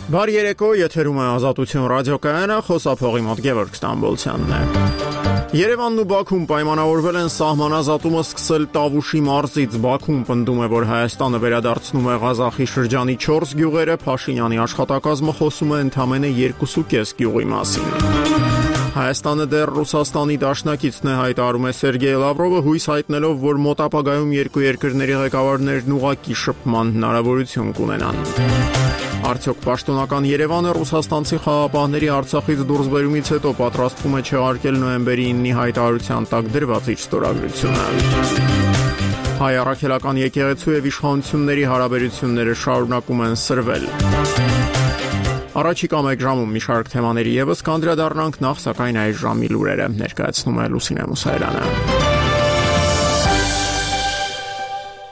Բարի երեկո, եթերում է Ազատություն ռադիոկայանը, խոսափողի մոտ Գևորգ Ստամբոլցյանն է։ Երևանն ու Բաքուն պայմանավորվել են սահմանազատումը սկսել Տավուշի մարզից։ Բաքուն պնդում է, որ Հայաստանը վերադարձնում է Ղազախի շրջանի 4 գյուղերը, Փաշինյանի աշխատակազմը խոսում է ընդամենը 2.5 գյուղի մասին։ Հայաստանը դեռ Ռուսաստանի դաշնակիցն է, հայտարարում է Սերգեյ Լավրովը, հույս հայտնելով, որ մոտ ապագայում երկու երկրների ղեկավարներն ուղղակի շփման հնարավորություն կունենան։ Արդյոք պաշտոնական Երևանը ռուսաստանցի խաղապահների Արցախից դուրսբերումից հետո պատրաստվում է չեղարկել նոյեմբերի 9-ի հայտարարության տակ դրված իր ստորագրությունը։ Հայ առաքելական եկեղեցու եւ իշխանությունների հարաբերությունները շարունակում են սրվել։ Առաջիկա մեկ ժամում մի շարք թեմաների եւս կանդրադառնանք, նախ սակայն այս ժամի լուրերը ներկայացնում է Լուսինե Մուսայելյանը։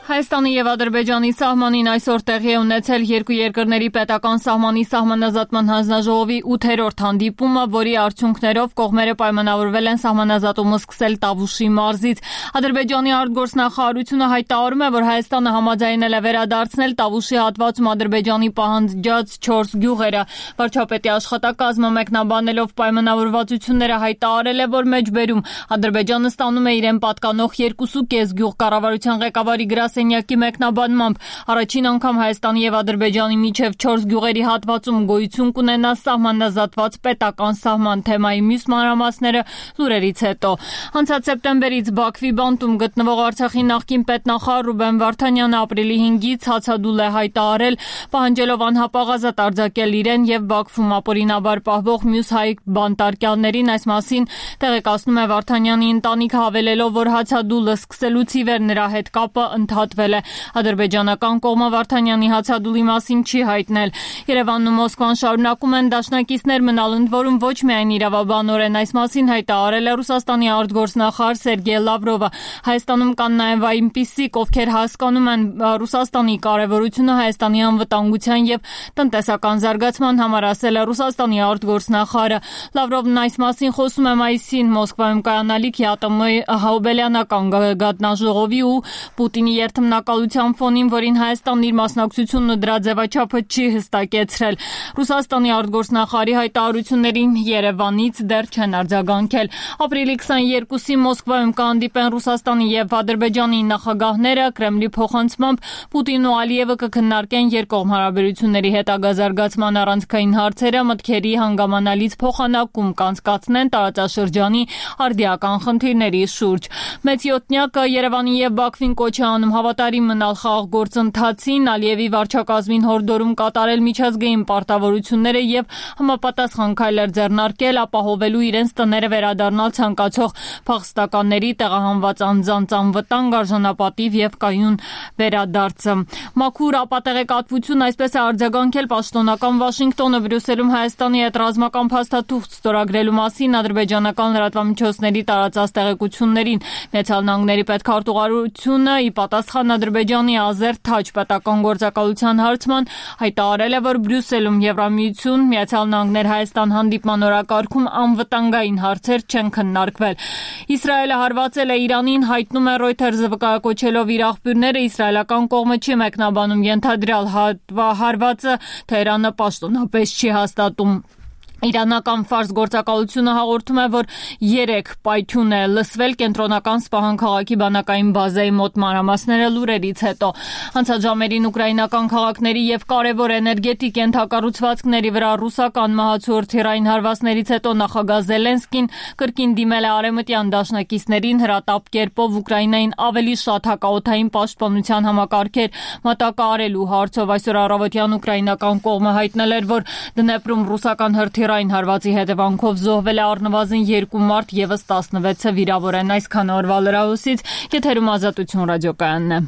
Հայաստանի եւ Ադրբեջանի սահմանին այսօր տեղի է ունեցել երկու երկրների պետական սահմանի սահմանազատման հանձնաժողովի 8-րդ հանդիպումը, որի արդյունքներով կողմերը պայմանավորվել են սահմանազատումը սկսել Տավուշի մարզից։ Ադրբեջանի արտգործնախարարությունը հայտարարում է, որ Հայաստանը համաձայնել է վերադարձնել Տավուշի հատվածում Ադրբեջանի պահանջած 4 գյուղերը։ Վարչապետի աշխատակազմը մեկնաբանելով պայմանավորվածությունները հայտարարել է, որ մեջբերում Ադրբեջանը ստանում է իրեն պատկանող 2.5 գյուղ կառավարության ղեկավարի գրասենյակի մեկնաբանմամբ առաջին անգամ Հայաստանի եւ Ադրբեջանի միջև 4 գյուղերի հատվածում գոյություն կունենա սահմանազատված պետական սահման թեմայի մյուս մանրամասները լուրերից հետո։ Անցած սեպտեմբերից Բաքվի բանտում գտնվող Արցախի նախկին պետնախարար Ռուբեն Վարդանյանը ապրիլի 5-ից հացադուլ է հայտարարել, պահանջելով անհապաղ արձակել իրեն եւ Բաքվում ապօրինաբար պահվող մյուս հայ բանտարկյալներին։ Այս մասին տեղեկացնում է Վարդանյանի ընտանիքը, հավելելով, որ հացադուլը սկսելուց ի վեր նրա հետ կապը ընդհատվել է։ Ադրբեջանական կողմը Վարդանյանի հացադուլի մասին չի հայտնել։ Երևանն ու Մոսկվան շարունակում են դաշնակիցներ մնալ, ընդ որում ոչ միայն իրավաբանորեն այս մասին հայտարարել է Ռուսաստանի արտգործնախարար Սերգեյ Լավրովը։ Հայաստանում կան նաև այնպիսիք, ովքեր հասկանում են Ռուսաստանի կարևորությունը Հայաստանի անվտանգության եւ տնտեսական զարգացման համար, ասել է Ռուսաստանի արտգործնախարարը։ Լավրովն այս մասին խոսում է մայիսին Մոսկվայում կայանալիք ՀԱՏՄ Հաուբելյանական գատնաժողովի ու Պուտինի երթմնակալության ֆոնին, որին Հայաստանն իր մասնակցությունն ու դրա ձևաչափը չի հստակեցրել։ Ռուսաստանի արտգործնախարարի հայտարարություններին Երևանից դեռ չեն արձագանքել։ Ապրիլի 22-ին Մոսկվայում կհանդիպեն Ռուսաստանի եւ Ադրբեջանի նախագահները, Կրեմլի փոխանցմամբ Պուտինն ու Ալիևը կքննարկեն երկկողմ հարաբերությունների հետագա զարգացման առանցքային հարցերը, մտքերի հանգամանալից փոխանակում կանցկացնեն տարածաշրջանի արդիական խնդիրների շուրջ։ Մեծ յոթնյակը Երևանի եւ Բաքվին կոչ է անում հավատարիմ մնալ խաղաղ գործընթացին, Ալիևի վարչակազմին հորդորում կատարել միջազգային պարտավորությունները եւ համապատասխան քայլեր ձեռնարկել, ապահովելու իրենց տները վերադառնալ ցանկացող փախստականների տեղահանված անձանց անվտանգ, արժանապատիվ եւ կայուն վերադարձը։ Մաքուր ապատեղեկատվություն այսպես է արձագանքել պաշտոնական Վաշինգտոնը Բրյուսելում Հայաստանի հետ ռազմական փաստաթուղթ ստորագրելու մասին ադրբեջանական լրատվամիջոցների տարածած տեղեկություններին։ Միացյալ Նահանգների պետքարտուղարությունը ի պատասխան Ադրբեջանի Ազեր-Թաչ պետական գործակալության հարցման հայտարարել է, որ Բրյուսելում Եվրամիություն, Միացյալ Նահանգներ Հայաստան հանդիպման օրակարգում անվտանգային հարցեր չեն քննարկվել։ Իսրայելը հարվածել է Իրանին, հայտնում է Reuters-ը վկայակոչելով իր աղբյուրները, իսրայելական կողմը չի մեկնաբանում ենթադրյալ հարվածը, Թեհրանը պաշտոնապես չի հաստատում։ Իրանական Ֆարս գործակալությունը հաղորդում է, որ 3 պայթյուն է լսվել կենտրոնական Սպահան քաղաքի բանակային բազայի մոտ մանրամասները լուրերից հետո։ Անցած ժամերին ուկրաինական քաղաքների եւ կարևոր էներգետիկ ենթակառուցվածքների վրա ռուսական մահացու-հրթիռային հարվածներից հետո նախագահ Զելենսկին կրկին դիմել է արևմտյան դաշնակիցներին հրատապ կերպով Ուկրաինային ավելի շատ հակաօդային պաշտպանության համակարգեր մատակարարելու հարցով։ Այսօր առավոտյան ուկրաինական կողմը հայտնել էր, որ Դնեպրում ռուսական հրթիռային հարվածի հետևանքով զոհվել է առնվազն 2 մարդ, եւս 16-ը վիրավոր են։ Այսքան օրվա լրահոսից եթերում Ազատություն ռադիոկայանն է։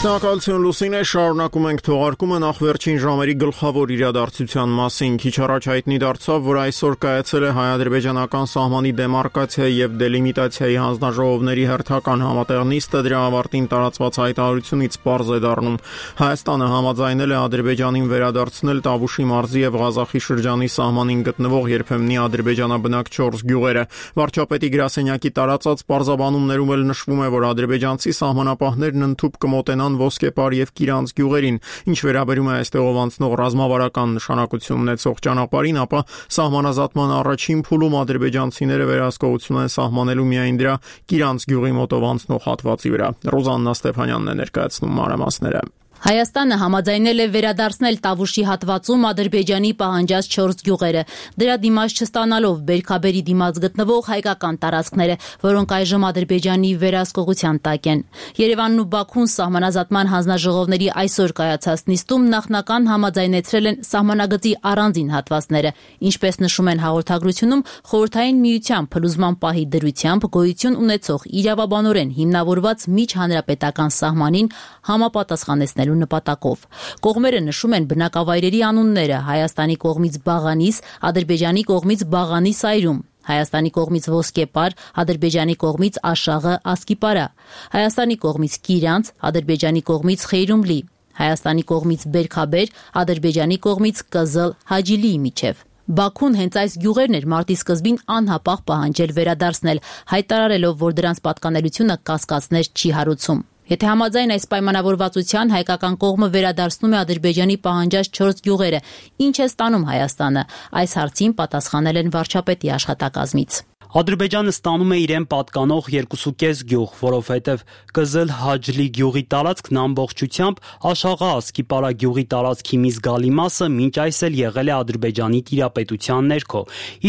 Շնորհակալություն Լուսինե, շարունակում ենք թողարկումը նախ վերջին ժամերի գլխավոր իրադարձության մասին։ Քիչ առաջ հայտնի դարձավ, որ այսօր կայացել է հայ-ադրբեջանական սահմանի դեմարկացիայի եւ դելիմիտացիայի հանձնաժողովների հերթական համատեղ նիստը, դրա ավարտին տարածված հայտարարությունից պարզ է դառնում Հայաստանը համաձայնել է Ադրբեջանին վերադարձնել Տավուշի մարզի եւ Ղազախի շրջանի սահմանին գտնվող երբեմնի ադրբեջանաբնակ 4 գյուղերը։ Վարչապետի գրասենյակի տարածած պարզաբանումներում էլ նշվում է, որ ադրբեջանցի սահմանապահներն ընդཐུպ կմոտենան Ադրբեջան, Ոսկեպար եւ Կիրանց գյուղերին։ Ինչ վերաբերում է այստեղով անցնող ռազմավարական նշանակություն ունեցող ճանապարհին, ապա սահմանազատման առաջին փուլում ադրբեջանցիները վերահսկողություն են սահմանելու միայն դրա Կիրանց գյուղի մոտով անցնող հատվածի վրա։ Ռոզաննա Ստեփանյանն է ներկայացնում մանրամասները։ Հայաստանը համաձայնել է վերադարձնել Տավուշի հատվածում Ադրբեջանի պահանջած 4 գյուղերը, դրա դիմաց չստանալով Բերքաբերի դիմաց գտնվող հայկական տարածքները, որոնք այժմ Ադրբեջանի վերահսկողության տակ են։ Երևանն ու Բաքուն սահմանազատման հանձնաժողովների այսօր կայացած նիստում նախնական համաձայնեցրել են սահմանագծի առանձին հատվածները, ինչպես նշում են հաղորդագրությունում, Խորհրդային Միության փլուզման պահի դրությամբ գոյություն ունեցող իրավաբանորեն հիմնավորված միջհանրապետական սահմանին համապատասխանեցնելու նպատակով։ Կողմերը նշում են բնակավայրերի անունները Հայաստանի կողմից Բաղանիս, Ադրբեջանի կողմից Բաղանի Սայրում, Հայաստանի կողմից Ոսկեպար, Ադրբեջանի կողմից Աշաղը, Ասկիպարա, Հայաստանի կողմից Կիրանց, Ադրբեջանի կողմից Խեյրումլի, Հայաստանի կողմից Բերքաբեր, Ադրբեջանի կողմից Կզլ, Հաջիլիի միջև։ Բաքուն հենց այս գյուղերն էր մարտի սկզբին անհապաղ պահանջել վերադարձնել, հայտարարելով, որ դրանց պատկանելությունը կասկածներ չի հարուցում։ Եթե համաձայն այս պայմանավորվածության հայկական կողմը վերադարձնում է Ադրբեջանի պահանջած 4 գյուղերը, ինչ է ստանում Հայաստանը, այս հարցին պատասխանել են վարչապետի աշխատակազմից։ Ադրբեջանը ստանում է իրեն պատկանող 2.5 գյուղ, որովհետև Կզլ Հաջլի գյուղի տարածքն ամբողջությամբ Աշաղա Ասկիպարա գյուղի տարածքի մի զգալի մասը մինչ այս էլ եղել է Ադրբեջանի տիրապետության ներքո,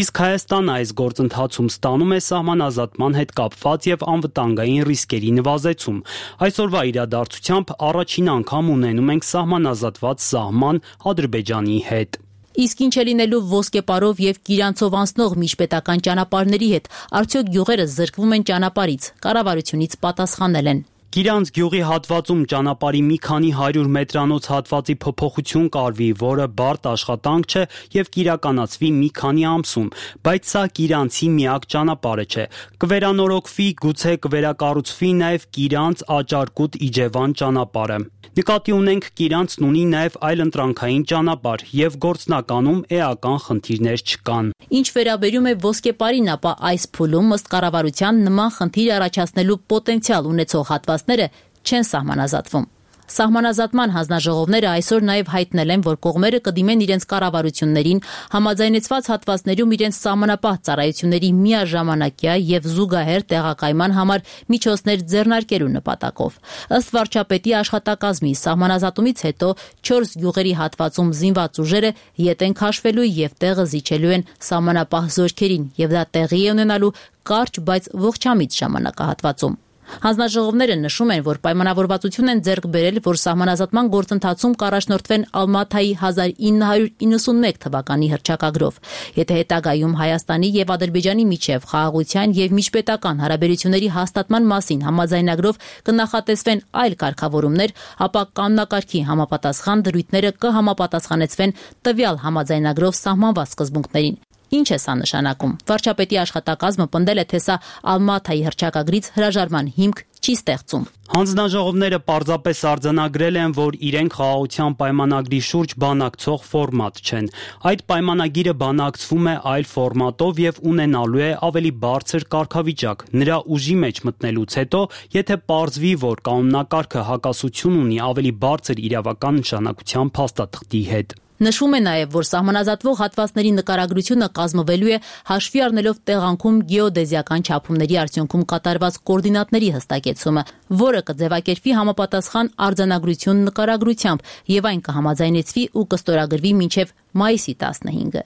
իսկ Հայաստանը այս գործընթացում ստանում է սահմանազատման հետ կապված եւ անվտանգային ռիսկերի նվազեցում։ Այսօրվա իրադարձությամբ առաջին անգամ ունենում ենք սահմանազատված սահման Ադրբեջանի հետ։ Իսկ ինչ է լինելու Ոսկեպարով եւ Կիրանցով անցնող միջպետական ճանապարհների հետ, արդյոք գյուղերը զրկվում են ճանապարհից, կառավարությունից պատասխանել են։ Կիրանց գյուղի հատվածում ճանապարհի մի քանի 100 մետրանոց հատվածի փոփոխություն կարվի, որը բարդ աշխատանք չէ եւ կիրականացվի մի քանի ամսում, բայց սա Կիրանցի միակ ճանապարհը չէ։ Կվերանորոգվի, գուցե կվերակառուցվի նաեւ Կիրանց Աճարկուտ Իջևան ճանապարհը։ Նկատի ունենք Կիրանցն ունի նաեւ այլընտրանքային ճանապարհ եւ գործնականում էական խնդիրներ չկան։ Ինչ վերաբերում է Ոսկեպարին, ապա այս փուլում ըստ կառավարության նման խնդիր առաջացնելու պոտենցիալ ունեցող հատվածները չեն սահմանազատվում։ Սահմանազատման հանձնաժողովները այսօր նաև հայտնել են, որ կողմերը կդիմեն իրենց կառավարություններին համաձայնեցված հատվածներում իրենց սահմանապահ ծառայությունների միաժամանակյա եւ զուգահեռ տեղակայման համար միջոցներ ձեռնարկելու նպատակով։ Ըստ վարչապետի աշխատակազմի, սահմանազատումից հետո 4 գյուղերի հատվածում զինված ուժերը ետ են քաշվելու եւ տեղը զիջելու են սահմանապահ զորքերին, եւ դա տեղի է ունենալու կարճ, բայց ողջամիտ ժամանակահատվածում։ Հանձնաժողովները նշում են, որ պայմանավորվածություն են ձեռք բերել, որ սահմանազատման գործընթացում կառաջնորդվեն Ալմաթայի 1991 թվականի հռչակագրով։ Եթե հետագայում Հայաստանի եւ Ադրբեջանի միջև խաղաղության եւ միջպետական հարաբերությունների հաստատման մասին համաձայնագրով կնախատեսվեն այլ կարգավորումներ, ապա կանոնակարգի համապատասխան դրույթները կհամապատասխանեցվեն տվյալ համաձայնագրով սահմանված սկզբունքներին։ Ինչ է սա նշանակում։ Վարչապետի աշխատակազմը պնդել է, թե սա Ալմաթայի հռչակագրից հրաժարման հիմք չի ստեղծում։ Հանձնաժողովները պարզապես արձանագրել են, որ իրենք խաղաղության պայմանագրի շուրջ բանակցող ֆորմատ չեն։ Այդ պայմանագիրը բանակցվում է այլ ֆորմատով եւ ունենալու է ավելի բարձր կարգավիճակ։ Նրա ուժի մեջ մտնելուց հետո, եթե պարզվի, որ կանոնակարգը հակասություն ունի ավելի բարձր իրավական նշանակության փաստաթղթի հետ։ Նշվում է նաև, որ սահմանազատվող հատվածների նկարագրությունը կազմվելու է հաշվի առնելով տեղանքում գեոդեզիական չափումների արդյունքում կատարված կոորդինատների հստակեցումը, որը կձևակերպվի համապատասխան արձանագրություն նկարագրությամբ եւ այն կհամաձայնեցվի ու կստորագրվի մինչեւ մայիսի 15-ը։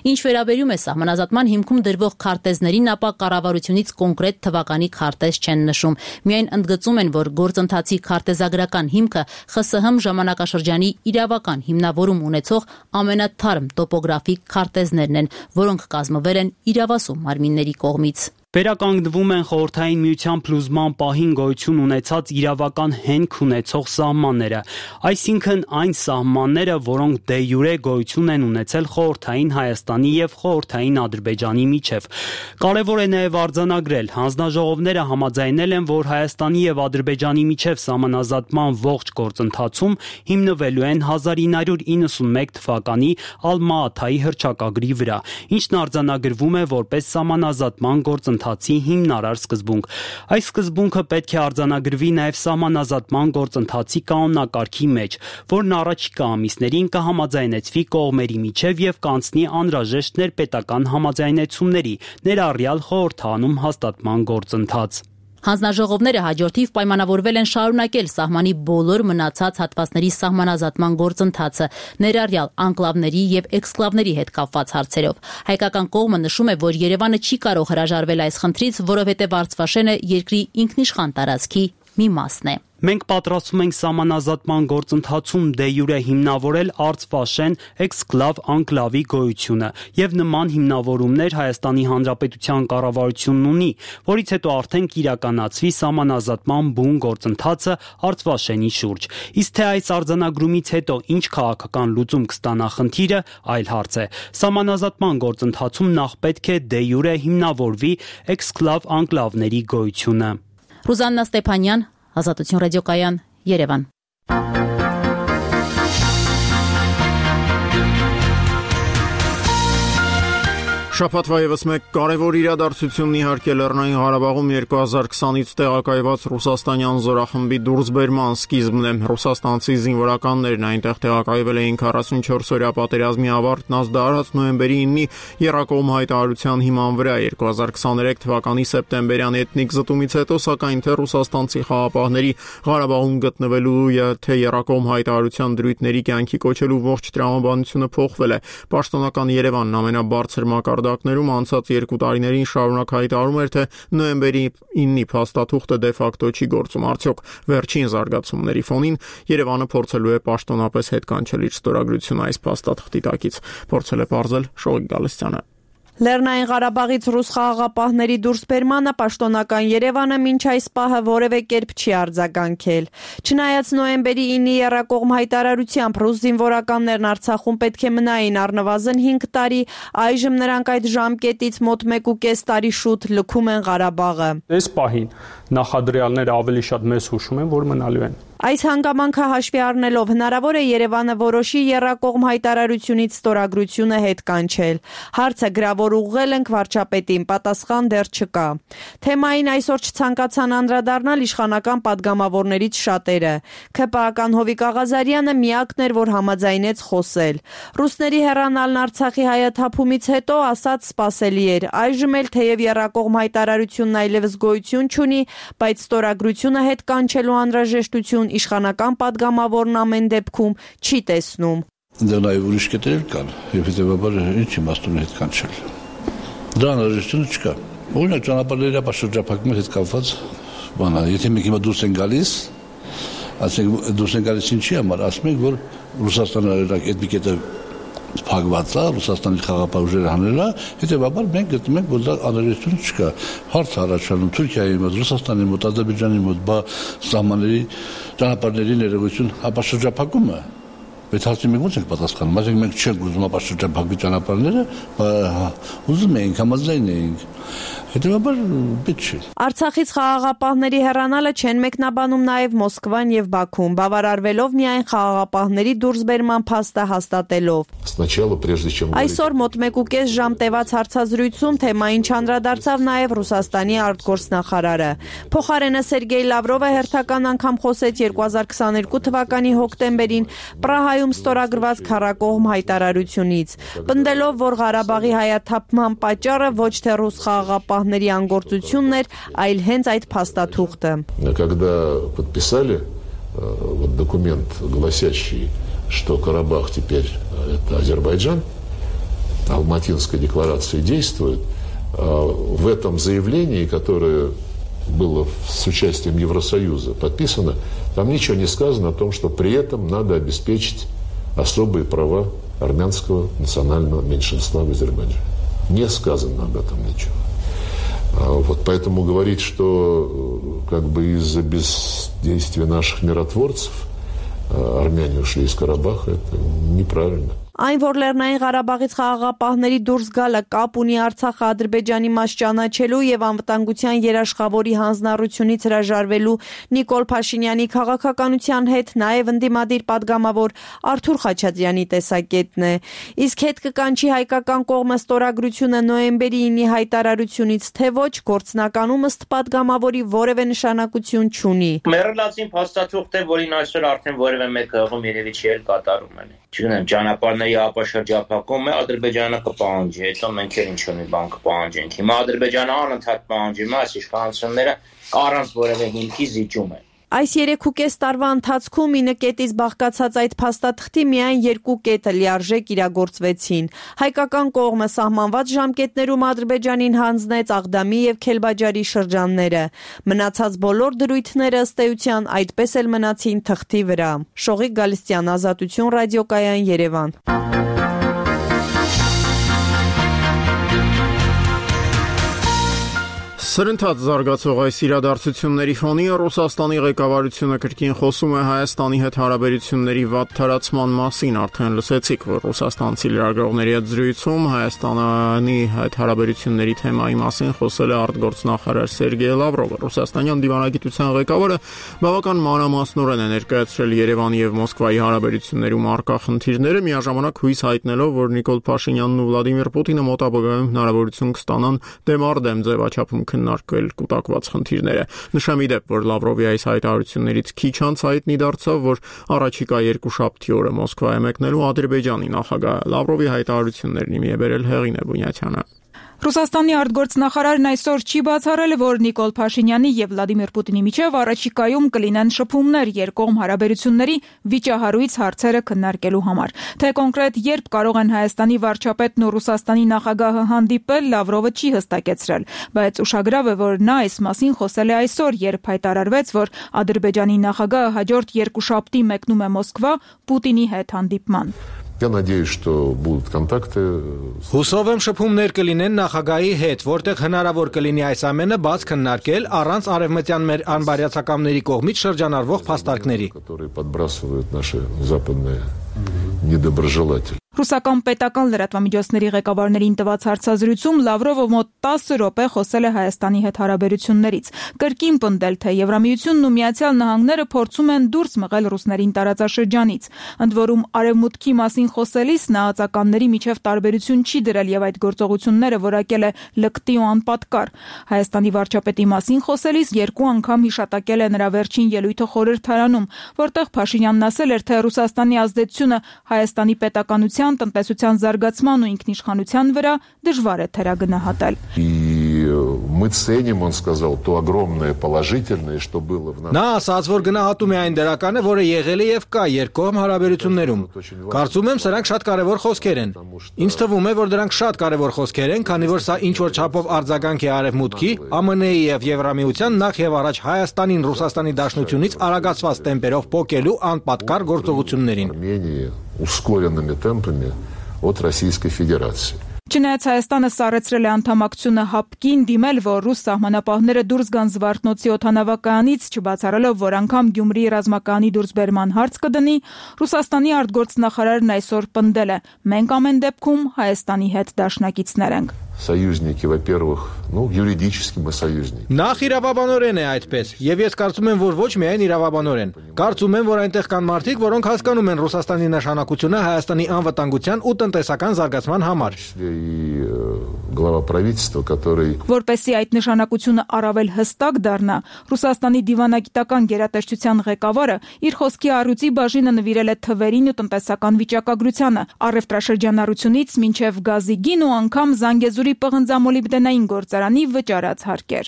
Ինչ վերաբերում է սահմանազատման հիմքում դրվող քարտեզներին, ապա կառավարությունից կոնկրետ թվականի քարտեզ չեն նշում։ Միայն ընդգծում են, որ գործընթացի քարտեզագրական հիմքը ԽՍՀՄ ժամանակաշրջանի իրավական հիմնավորում ունեցող ամենաթարմ տոպոգրաֆիկ քարտեզներն են, որոնք կազմվել են իրավասու մարմինների կողմից։ Վերականգնվում են Խորհրդային Միության փլուզման պահին գոյություն ունեցած իրավական հենք ունեցող սահմանները, այսինքն այն սահմանները, որոնք դե յուրե գոյություն են ունեցել Խորհրդային Հայաստանի եւ Խորհրդային Ադրբեջանի միջև։ Կարևոր է նաեւ արձանագրել, հանձնաժողովները համաձայնել են, որ Հայաստանի եւ Ադրբեջանի միջև սահմանազատման ողջ գործընթացում հիմնվելու են 1991 թվականի Ալմա-Աթայի հռչակագրի վրա, ինչն արձանագրվում է որպես սահմանազատման գործընթացի գործընթացի հիմնարար սկզբունք։ Այս սկզբունքը պետք է արձանագրվի նաև սահմանազատման գործընթացի կանոնակարգի մեջ, որն առաջիկա ամիսներին կհամաձայնեցվի կողմերի միջև եւ կանցնի անհրաժեշտ ներպետական համաձայնեցումների, ներառյալ խորհրդանում հաստատման գործընթաց։ Հանձնաժողովները հաջորդիվ պայմանավորվել են շարունակել սահմանի բոլոր մնացած հատվածների սահմանազատման գործընթացը, ներառյալ անկլավների եւ էքսկլավների հետ կապված հարցերով։ Հայկական կողմը նշում է, որ Երևանը չի կարող հրաժարվել այս խնդրից, որովհետեւ Արցվաշենը երկրի ինքնիշխան տարածքի մի մասն է։ Մենք պատրաստվում ենք սահմանազատման գործընթացում դե յուրե հիմնավորել Արցվաշեն էքսկլավ անկլավի գոյությունը եւ նման հիմնավորումներ Հայաստանի Հանրապետության կառավարությունն ունի, որից հետո արդեն կիրականացվի սահմանազատման բուն գործընթացը Արցվաշենի շուրջ։ Իսկ թե այս արձանագրումից հետո ինչ քաղաքական լուծում կստանա խնդիրը, այլ հարց է։ Սահմանազատման գործընթացում նախ պետք է դե յուրե հիմնավորվի էքսկլավ անկլավների գոյությունը։ Ռուզաննա Ստեփանյան, Ազատություն ռադիոկայան, Երևան։ Շաբաթվա ևս մեկ կարևոր իրադարձությունն իհարկե Լեռնային Ղարաբաղում 2020-ից տեղակայված ռուսաստանյան զորախմբի դուրսբերման սկիզբն է։ Ռուսաստանցի զինվորականներն այնտեղ տեղակայվել էին 44-օրյա պատերազմի ավարտն ազդարած նոյեմբերի 9-ի եռակողմ հայտարարության հիման վրա 2023 թվականի սեպտեմբերյան էթնիկ զտումից հետո, սակայն թե ռուսաստանցի խաղապահների Ղարաբաղում գտնվելու թե եռակողմ հայտարարության դրույթների կյանքի կոչելու ողջ տրամաբանությունը փոխվել է։ Պաշտոնական Երևանն ամենաբարձր մակարդակներում անցած 2 տարիներին շարունակ հայտարարում էր, թե նոյեմբերի 9-ի փաստաթուղթը դե ֆակտո չի գործում։ Արդյոք վերջին զարգացումների ֆոնին Երևանը փորձելու է պաշտոնապես հետ կանչել իր ստորագրությունը այս փաստաթղթի տակից, փորձել է պարզել Շողիկ Գալստյանը։ Լեռնային Ղարաբաղից ռուս խաղաղապահների դուրսբերմանը պաշտոնական Երևանը մինչ այս պահը որևէ կերպ չի արձագանքել։ Չնայած նոյեմբերի 9-ի եռակողմ հայտարարությամբ ռուս զինվորականներն Արցախում պետք է մնային առնվազն 5 տարի, այժմ նրանք այդ ժամկետից մոտ 1.5 տարի շուտ լքում են Ղարաբաղը։ Այս պահին նախադրյալները ավելի շատ մեզ հուշում են, որ մնալու են։ Այս հանգամանքը հաշվի առնելով հնարավոր է Երևանը որոշի եռակողմ հայտարարությունից ստորագրությունը հետ կանչել։ Հարցը գրավոր ուղղել ենք վարչապետին, պատասխան դեռ չկա։ Թեմային այսօր չցանկացան անդրադառնալ իշխանական падգամավորներից շատերը։ ՔՊԱ-ական Հովիկ Աղազարյանը միակն էր, որ համաձայնեց խոսել։ Ռուսների հեռանալն Արցախի հայաթափումից հետո ասաց սպասելի էր։ Այժմ էլ թեև եռակողմ հայտարարությունն այլևս գոյություն չունի, բայց ստորագրությունը հետ կանչելու անհրաժեշտություն իշխանական падգամավորն ամեն դեպքում չի տեսնում։ Դա նաև ուրիշ կետեր կան, եւ հետեւաբար ինչ իմաստուն է հետ կանչել։ Դա անհրաժեշտություն չկա։ Օրինակ ճանապարհների ապաշրջափակման հետ կապված բանա, եթե մենք հիմա դուրս են գալիս, ասենք դուրս են գալիս ինչի համար, ասում ենք, որ Ռուսաստանը այդ մի կետը փակված է, Ռուսաստանի խաղապահ ուժերը հանել է, հետեւաբար մենք գտնում ենք, որ դա անհրաժեշտություն չկա։ Հարց առաջանում Թուրքիայի մոտ, Ռուսաստանի մոտ, Ադրբեջանի մոտ, սահմանների ճանապարհների ներողություն ապաշրջափակումը։ Բայց հարցին մենք ո՞նց ենք պատասխանում։ Այսինքն մենք չենք ուզում ապաշրջափակվի ճանապարհները, ուզում ենք համաձայն ենք։ Հետևաբար պետք չէ։ Արցախից խաղաղապահների հեռանալը չեն մեկնաբանում նաև Մոսկվան եւ Բաքուն, բավարարվելով միայն խաղաղապահների դուրսբերման փաստը հաստատելով։ Այսօր մոտ 1.5 ժամ տևած հարցազրույցում թեմային չանդրադարձավ նաև Ռուսաստանի արտգործնախարարը։ Փոխարենը Սերգեյ Լավրովը հերթական անգամ խոսեց 2022 թվականի հոկտեմբերին Պրահայում ստորագրված քառակողմ հայտարարությունից, պնդելով, որ Ղարաբաղի հայաթափման պատճառը ոչ թե ռուս խաղաղապահների անգործությունն էր, այլ հենց այդ փաստաթուղթը։ Когда подписали документ, гласящий, что Карабах теперь это Азербайджан, Алматинская декларация действует, в этом заявлении, которое было с участием Евросоюза подписано, там ничего не сказано о том, что при этом надо обеспечить особые права армянского национального меньшинства в Азербайджане. Не сказано об этом ничего. Вот поэтому говорить, что как бы из-за бездействия наших миротворцев армяне ушли из Карабаха, это неправильно. Այն, որ Լեռնային Ղարաբաղից խաղաղապահների դուրս գալը կապ ունի Արցախը Ադրբեջանի մաս ճանաչելու եւ անվտանգության երաշխավորի հանձնառությունից հրաժարվելու Նիկոլ Փաշինյանի քաղաքականության հետ, նաեւ ընդդիմադիր падգամավոր Արթուր Խաչատրյանի տեսակետն է։ Իսկ հետ կկանչի հայկական կողմը ստորագրությունը նոյեմբերի 9-ի հայտարարությունից, թե ոչ, գործնականում ըստ падգամավորի որևէ նշանակություն չունի։ Մեռելացին փաստաթուղթ է, որին այսօր արդեն որևէ մեկ հղում երևի չի էլ կատարում են։ Չգիտեմ, ճանապարհների ապաշրջափակում է, Ադրբեջանը կպահանջի, հետո մենք էլ ինչ-որ մի բան կպահանջենք։ Հիմա Ադրբեջանը անընդհատ պահանջում է, այս իշխանությունները առանց որևէ հիմքի զիջում են։ Այս 3.5 տարվա ընթացքում 9 կետից բաղկացած այդ փաստաթղթի միայն 2 կետը լիարժեք իրագործվեցին։ Հայկական կողմը սահմանված ժամկետներում Ադրբեջանին հանձնեց Աղդամի եւ Քելբաջարի շրջանները։ Մնացած բոլոր դրույթները ըստ էության այդպես էլ մնացին թղթի վրա։ Շողիկ Գալստյան, Ազատություն ռադիոկայան, Երևան։ Սրընթաց զարգացող այս իրադարձությունների ֆոնին Ռուսաստանի ղեկավարությունը կրկին խոսում է Հայաստանի հետ հարաբերությունների վատ թարացման մասին։ Արդեն լսեցիք, որ ռուսաստանցի լրագրողների հետ զրույցում Հայաստանի հետ հարաբերությունների թեմայի մասին խոսել է արտգործնախարար Սերգեյ Լավրովը։ Ռուսաստանյան դիվանագիտության ղեկավարը բավական մանրամասնորեն է ներկայացրել Երևանի եւ Մոսկվայի հարաբերություններում առկա խնդիրները, միաժամանակ հույս հայտնելով, որ Նիկոլ Փաշինյանն ու Վլադիմիր Պուտինը մոտ ապագայում հնարավորություն կստանան դեմարդեմ ձևաչափում քննարկել կուտակված խնդիրները։ Նշեմ ի դեպ, որ Լավրովի այս հայտարարություններից քիչ անց հայտնի դարձավ, որ առաջիկա երկուշաբթի օրը Մոսկվա է մեկնելու Ադրբեջանի նախագահ։ Լավրովի հայտարարություններն իմի է բերել Հեղինե Բունյացյանը։ Ռուսաստանի արտգործնախարարն այսօր չի բացառել, որ Նիկոլ Փաշինյանի եւ Վլադիմիր Պուտինի միջև առաջիկայում կլինեն շփումներ երկկողմ հարաբերությունների վիճահարույց հարցերը քննարկելու համար։ Թե կոնկրետ երբ կարող են Հայաստանի վարչապետն ու Ռուսաստանի նախագահը հանդիպել, Լավրովը չի հստակեցրել, բայց ուշագրավ է, որ նա այս մասին խոսել է այսօր, երբ հայտարարվեց, որ Ադրբեջանի նախագահը հաջորդ երկուշաբթի մեկնում է Մոսկվա Պուտինի հետ հանդիպման։ Я надеюсь, что будут контакты. Հուսով եմ շփումներ կլինեն նախագահի հետ, որտեղ հնարավոր կլինի այս ամենը բաց քննարկել առանց արևմտյան մեր անբարյացակամների կողմից շրջանառվող փաստարկների, которые подбрасывают наши западные недоброжелатели. Ռուսական պետական լրատվամիջոցների ղեկավարներին տված հարցազրույցում Լավրովը մոտ 10 րոպե խոսել է Հայաստանի հետ հարաբերություններից։ Կրկին պնդել, թե Եվրամիությունն ու Միացյալ Նահանգները փորձում են դուրս մղել ռուսներին տարածաշրջանից։ Ընդ որում արևմուտքի մասին խոսելիս նա ածականների միջև տարբերություն չի դրել եւ այդ գործողությունները որակել է լկտի ու անպատկար։ Հայաստանի վարչապետի մասին խոսելիս 2 անգամ հիշատակել է նրա վերջին ելույթը խորհրդարանում, որտեղ Փաշինյանն ասել էր, թե Ռուսաստանի ազդեցությունը Հայաստանի պետականության տնտեսության զարգացման ու ինքնիշխանության վրա դժվար է թերագնահատել։ Мы ценим, он сказал, то огромное положительное, что было в нас. Նա ասաց, որ գնահատում է այն դրականը, որը եղել է եւ կա երկկողմ հարաբերություններում։ Կարծում եմ, սրանք շատ կարեւոր խոսքեր են։ Ինձ թվում է, որ դրանք շատ կարեւոր խոսքեր են, քանի որ սա ինչ որ չափով արձագանք է արևմուտքի, ԱՄՆ-ի եւ Եվրամիության նախ եւ առաջ Հայաստանին Ռուսաստանի դաշնությունից արագացված տեմպերով փոկելու անպատկար գործողություններին։ Ускоренными темпами от Российской Федерации. Չնայած Հայաստանը սառեցրել է անդամակցությունը ՀԱՊԿ-ին, դիմել, որ ռուս սահմանապահները դուրս գան Զվարթնոցի օդանավակայանից, չբացառելով, որ անգամ Գյումրիի ռազմակայանի դուրսբերման հարց կդնի, Ռուսաստանի արտգործնախարարն այսօր պնդել է. մենք ամեն դեպքում Հայաստանի հետ դաշնակիցներ ենք։ Союзники, во-первых, юридически мы союзники. Նախ իրավաբանորեն է այդպես, եւ ես կարծում եմ, որ ոչ միայն իրավաբանորեն։ Կարծում եմ, որ այնտեղ կան մարդիկ, որոնք հասկանում են Ռուսաստանի նշանակությունը Հայաստանի անվտանգության ու տնտեսական զարգացման համար։ Глава правительства, который Որպեսզի այդ նշանակությունը առավել հստակ դառնա, Ռուսաստանի դիվանագիտական գերատեսչության ղեկավարը իր խոսքի առույցի բաժինը նվիրել է թվերին ու տնտեսական վիճակագրությանը, առևտրաշրջանառությունից մինչև գազի գին ու անգամ Զանգեզուրի պղնձամոլիբդենային գործարանի վճարած հարկեր։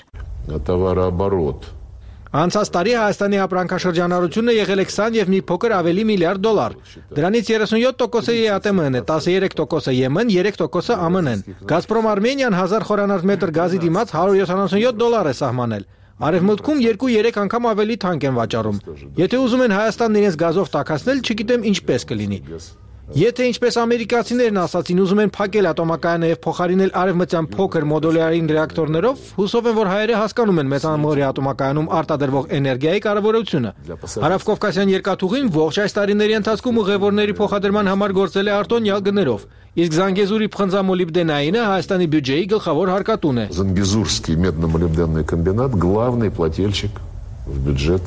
Товарооборот. Անցած տարի Հայաստանի ապրանքաշրջանառությունը եղել է 20 եւ մի փոքր ավելի միլիարդ դոլար։ Դրանից 37%-ը ԵԱՏՄ-ն է, 13%-ը ԵՄ-ն, 3%-ը ԱՄՆ-ն։ Գազպրոմ Արմենիան 1000 խորանարդ մետր գազի դիմաց $177 է սահմանել։ Արևմուտքում 2-3 անգամ ավելի թանկ են վաճառում։ Եթե ուզում են Հայաստանն իրենց գազով տաքացնել, չգիտեմ ինչպես կլինի։ Եթե ինչպես ամերիկացիներն ասացին, ուզում են փակել ատոմակայանը եւ փոխարինել արևմտյան փոքր մոդուլյարային ռեակտորներով, հուսով են, որ հայերը հասկանում են մեծամորի ատոմակայանում արտադրվող էներգիայի կարևորությունը։ Հարավկովկասյան երկաթուղին ողջ այս տարիների ընթացքում ուղևորների փոխադրման համար գործել է արտոնյալ գներով, իսկ Զանգեզուրի փխնձամոլիբդենայինը Հայաստանի բյուջեի գլխավոր հարկատուն է։ Զանգեզուրский медно-молибденный комбинат главный плательщик в бюджет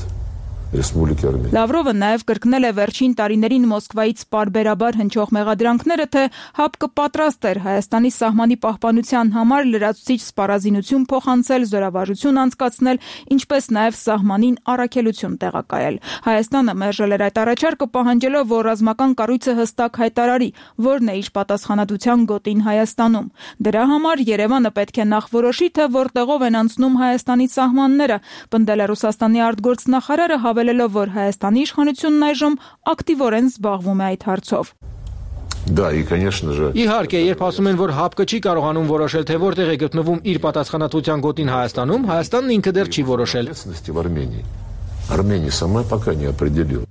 Республики Армения. Լավրովը նաև կրկնել է վերջին տարիներին Մոսկվայից պարբերաբար հնչող մեղադրանքները, թե ՀԱՊԿ պատրաստ էր Հայաստանի սահմանի պահպանության համար լրացուցիչ սպառազինություն փոխանցել, զորավարժություն անցկացնել, ինչպես նաև սահմանին առաքելություն տեղակայել։ Հայաստանը մերժել էր այդ առաջարկը, պահանջելով, որ ռազմական կառույցը հստակ հայտարարի, որն է իր պատասխանատվության գոտին Հայաստանում։ Դրա համար Երևանը պետք է նախ որոշի, թե որտեղով են անցնում Հայաստանի սահմանները, պնդել է Ռուսաստանի արտգործնախարարը, հավելելով, որ Հայաստանի իշխանությունն այժմ ակտիվորեն զբաղվում է այդ հարցով։ Да, и конечно же. Իհարկե, երբ ասում են, որ ՀԱՊԿ չի կարողանում որոշել, թե որտեղ է գտնվում իր պատասխանատվության գոտին Հայաստանում, Հայաստանն ինքը դեռ չի որոշել։ Армения сама пока не определила.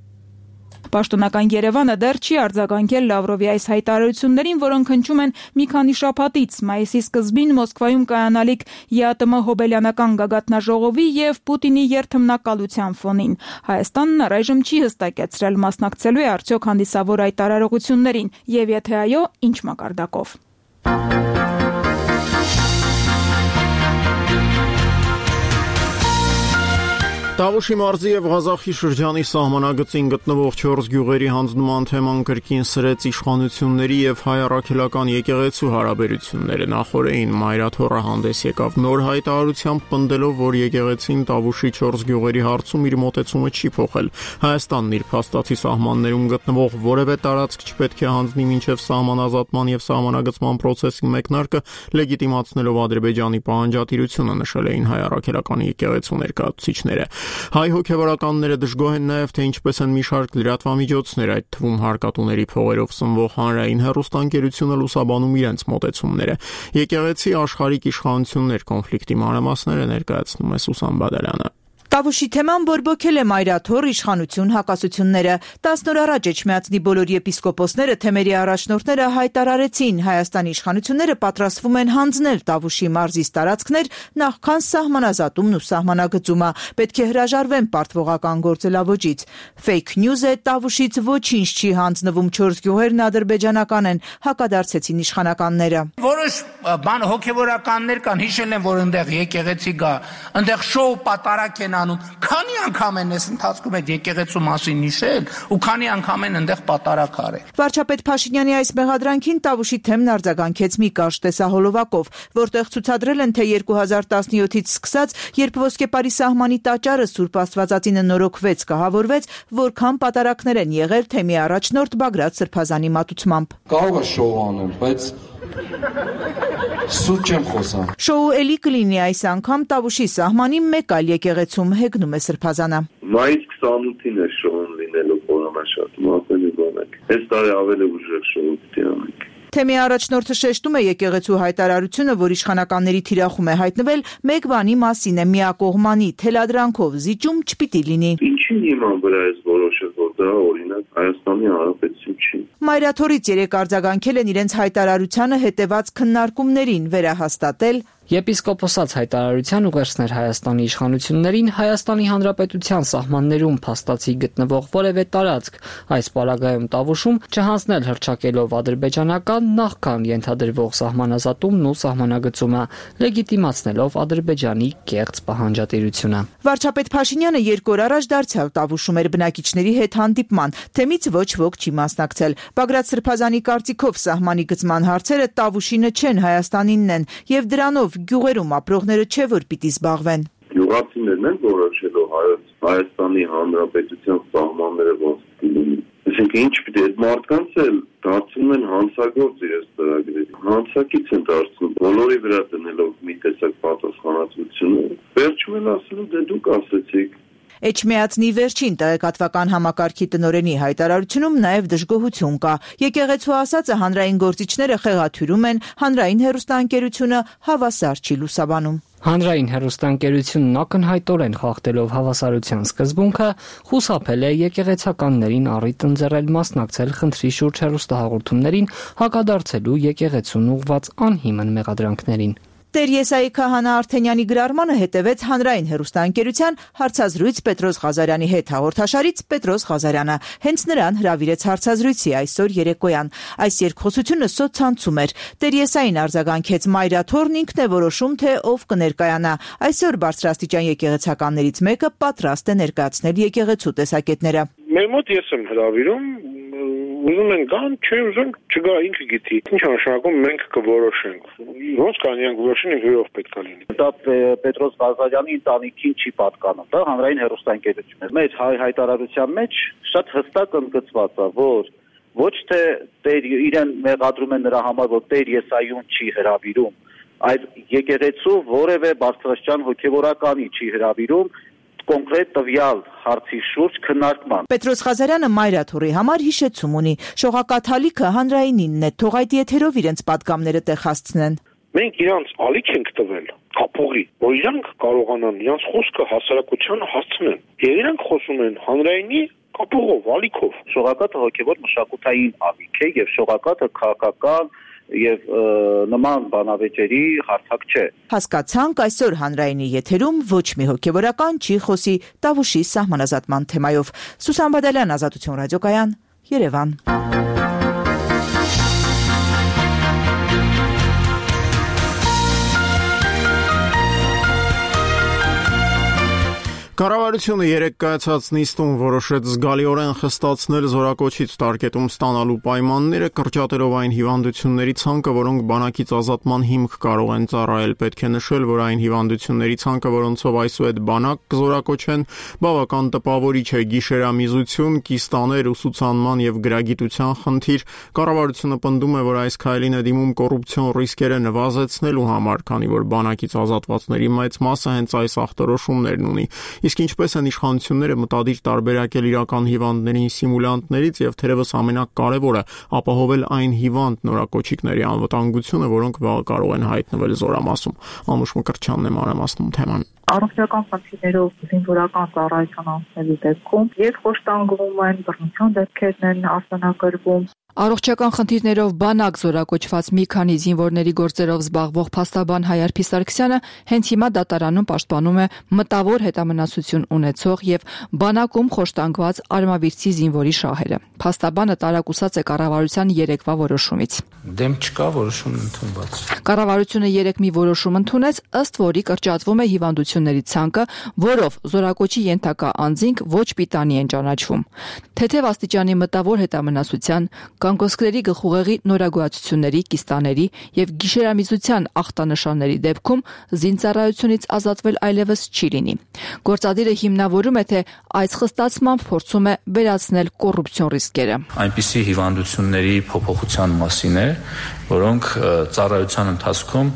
Պաշտոնական Երևանը դեռ չի արձագանքել Լավրովի այս հայտարարություններին, որոնք հնչում են մի քանի շաբաթից, մայիսի սկզբին Մոսկվայում կայանալիք ԵԱՏՄ հոբելյանական գագաթնաժողովի եւ Պուտինի երթմնակալության ֆոնին։ Հայաստանն առայժմ չի հստակեցրել մասնակցելու է արդյոք հանդիսավոր հայտարարություններին, եւ եթե այո, ինչ մակարդակով։ Տավուշի մարզի եւ Ղազախի շրջանի սահմանագծին գտնվող 4 գյուղերի հանձնման թեման կրկին սրեց իշխանությունների եւ հայ առաքելական եկեղեցու հարաբերությունները։ Նախորդին Մայրաթոռը հանդես եկավ նոր հայտարարությամբ, պնդելով, որ եկեղեցին Տավուշի 4 գյուղերի հարցում իր մոտեցումը չի փոխել։ Հայաստանն իր փաստացի սահմաններում գտնվող որևէ տարածք չպետք է հանձնի մինչև սահմանազատման եւ սահմանագծման process-ի մեկնարկը, լեգիտիմացնելով Ադրբեջանի պահանջատիրությունը, նշել էին հայ առաքելական եկեղեցու ներկայացուցիչները։ Հայ հոգևորականները դժգոհ են նաև, թե ինչպես են մի շարք լրատվամիջոցներ, այդ թվում հարկատուների փողերով սնվող հանրային հեռուստաընկերությունը լուսաբանում իրենց մոտեցումները։ Եկեղեցի աշխարհիկ իշխանություններ կոնֆլիկտի մանրամասները ներկայացնում է Սուսան Բադալյանը։ Տավուշի թեման բորբոքել է Մայրաթոռ իշխանություն հակասությունները։ 10 օր առաջ Էջմիածնի բոլոր եպիսկոպոսները, թեմերի առաջնորդները հայտարարեցին, Հայաստանի իշխանությունները պատրաստվում են հանձնել Տավուշի մարզից տարածքներ նախքան սահմանազատումն ու սահմանագծումը, պետք է հրաժարվեն պարտվողական գործելավոճից։ Fake news է, Տավուշից ոչինչ չի հանձնվում, 4 գյուղերն ադրբեջանական են, հակադարձեցին իշխանականները։ Որոշ բան հոգևորականներ կան, հիշել են, որ այնտեղ եկեղեցի գա, այնտեղ շոու պատարակ են Քանի անգամ են այս ընթացքում այդ եկեղեցու մասին հիշել ու քանի անգամ են այնտեղ պատարակ արել։ Վարչապետ Փաշինյանի այս մեղադրանքին Տավուշի թեմն արձագանքեց մի կարճ տեսահոլովակով, որտեղ ցուցադրել են, թե 2017-ից սկսած, երբ Ոսկեպարի սահմանի տաճարը Սուրբ Աստվածածինը նորոգվեց, կահավորվեց, որքան պատարակներ են եղել թեմի առաջնորդ Բագրատ Սրբազանի մատուցմամբ։ Կարող է շոու անեմ, բայց սուտ չեմ խոսում։ Շոու էլի կլինի այս անգամ Տավուշի սահմանի մեկ այլ եկեղեցում, հեգնում է Սրբազանը։ Մայիս 28-ին է շոուն լինելու խորհրդաշարում, ավելի բանակ։ Այս տարի ավելի ուժեղ շոու պիտի անենք։ Թեմի առաջնորդը շեշտում է եկեղեցու հայտարարությունը, որ իշխանականների թիրախում է հայտնվել, մեկ բանի մասին է՝ միակողմանի թելադրանքով զիջում չպիտի լինի։ Ինչի հիման վրա է որոշել, որ դա օրինակ Հայաստանի Հանրապետություն չի։ Մայրաթոռից երեք արձագանքել են իրենց հայտարարությանը հետևած քննարկումներին, վերահաստատել Եպիսկոպոսած հայտարարության ուղերձներ Հայաստանի իշխանություններին Հայաստանի Հանրապետության սահմաններում փաստացի գտնվող որևէ տարածք, այս պարագայում Տավուշում չհանձնել հռչակելով ադրբեջանական նախքան ենթադրվող սահմանազատումն ու սահմանագծումը, լեգիտիմացնելով Ադրբեջանի կեղծ պահանջատիրությունը։ Վարչապետ Փաշինյանը 2 օր առաջ դարձյալ Տավուշում էր բնակիչների հետ հանդիպման, թեմից ոչ ոք չի մասնակցել։ Բագրատ Սրբազանի կարծիքով սահմանի գծման հարցերը Տավուշինը չեն, Հայաստանինն են, եւ դրանով գյուղերում ապրողները չէ որ պիտի զբաղվեն։ Գյուղացիներն են որոշելով Հայաստանի Հանրապետության սահմանները ոնց լինի։ Այսինքն ինչ պիտի այդ մարդկանց էլ դարձնում են հանցագործ իրենց ծրագրերի։ Հանցակից են դարձնում, բոլորի վրա դնելով մի տեսակ պատասխանատվությունը։ Վերջում էլ ասելու դե դուք ասեցիք։ Էջմիածնի վերջին տեղեկատվական համակարգի տնօրենի հայտարարությունում նաև դժգոհություն կա։ Եկեղեցու ասածը հանրային գործիչները խեղաթյուրում են, հանրային հեռուստաընկերությունը հավասար չի լուսաբանում։ Հանրային հեռուստաընկերությունն ակնհայտորեն խախտելով հավասարության սկզբունքը խուսափել է եկեղեցականներին առիթ ընձեռել մասնակցել խնդրի շուրջ հեռուստահաղորդումներին, հակադարձելու եկեղեցուն ուղղված անհիմն մեղադրանքներին։ Տեր Եսայի Քահանա Արթենյանի գրառմանը հետևեց հանրային հեռուստաընկերության հարցազրույց Պետրոս Ղազարյանի հետ հաղորդաշարից Պետրոս Ղազարյանը հենց նրան հրավիրեց հարցազրույցի այսօր երեկոյան։ Այս երկխոսությունը սոցցանցում էր։ Տեր Եսային արձագանքեց մայրաթորն ինքն է որոշում, թե ով կներկայանա։ Այսօր բարձրաստիճան եկեղեցականներից մեկը պատրաստ է ներկայացնել եկեղեցու տեսակետները։ Մեր մոտ ես եմ հրավիրում, ուզում են գան, չէ ուզում չգա, ինքը գիտի։ Ինչ նշանակում մենք կորոշենք։ Ոնց կանենք որոշենք ով պետք է լինի։ Դա Պետրոս Ղազարյանի ընտանիքին չի պատկանում, դա հանրային հեռուստաընկերությունն է։ Մեր հայտարարության մեջ շատ հստակ ընդգծված է, որ ոչ թե Տեր իրեն մեղադրում են նրա համար, որ Տեր Եսայուն չի հրավիրում, այլ եկեղեցու որևէ բարձրաստիճան հոգևորականի չի հրավիրում կոնկրետ տվյալ հարցի շուրջ քննարկման։ Պետրոս Ղազարյանը մայրաթորի համար հիշեցում ունի։ Շողակաթալիքը հանրայինինն է, թող այդ եթերով իրենց պատգամները տեղ հասցնեն։ Մենք իրանց ալիք ենք տվել կապողի, որ իրանք կարողանան իրանց խոսքը հասարակությանը հասցնեն։ Եվ իրանք խոսում են հանրայինի կապողով, ալիքով։ Շողակաթը հոգևոր մշակութային ալիք է եւ շողակաթը քաղաքական եւ նման բանավեճերի հարթակ չէ։ Հասկացանք, այսօր հանրայինի եթերում ոչ մի հոգևորական չի խոսի Տավուշի սահմանազատման թեմայով։ Սուսան Բադալյան, Ազատություն ռադիոկայան, Երևան։ Կառավարությունը երեկ կայացած նիստում որոշեց զգալիորեն խստացնել զորակոչից տարկետում ստանալու պայմանները, կրճատելով այն հիվանդությունների ցանկը, որոնք բանակից ազատման հիմք կարող են ծառայել։ Պետք է նշել, որ այն հիվանդությունների ցանկը, որոնցով այսուհետ բանակ կզորակոչեն, բավական տպավորիչ է՝ գիշերամիզություն, կիստաներ, ուսուցանման եւ գրագիտության խնդիր։ Կառավարությունը պնդում է, որ այս քայլին է դիմում կոռուպցիոն ռիսկերը նվազեցնելու համար, քանի որ բանակից ազատվածների մեծ մասը հենց այս ախտորոշումներն ունի։ Իսկ ինչպես են իշխանությունները մտադիր տարբերակել իրական հիվանդներին սիմուլյանտներից եւ թերևս ամենակարևորը ապահովել այն հիվանդ նորակոչիկների անվտանգությունը, որոնք վաղ կարող են հայտնվել զորամասում։ Անուշ Մկրտչյանն է մանրամասնում թեման։ Առողջական խնդիրներով զինվորական ծառայության անցնելու դեպքում եւ խոշտանգվում են, բռնության դեպքերն են արձանագրվում։ Առողջական խնդիրներով բանակ զորակոչված մի քանի զինվորների գործերով զբաղվող փաստաբան Հայարփի Սարգսյանը հենց հիմա դատարանում պաշտպանում է մտավոր հետամնացություն ունեցող եւ բանակում խոշտանգված արմավիրցի զինվորի շահերը։ Փաստաբանը տարակուսած է կառավարության երեկվա որոշումից։ Դեմ չկա, որոշում ընդունված։ Կառավարությունը երեք մի որոշում ընդունեց, ըստ որի կրճատվում է հիվանդությունների ցանկը, որով զորակոչի ենթակա անձինք ոչ պիտանի են ճանաչվում։ Թեթև աստիճանի մտավոր հետամնացության, կանգոսկրերի գլխուղեղի նորագոյացությունների, կիստաների եւ գիշերամիզության ախտանշանների դեպքում զինծառայությունից ազատվել այլևս չի լինի։ Գործադիրը հիմնավորում է, թե այս խստացմամբ փորձում է վերացնել կոռուպցիոն ռիսկերը։ Այնպիսի հիվանդությունների փոփոխության մասին է, որոնք ծառայության ընթացքում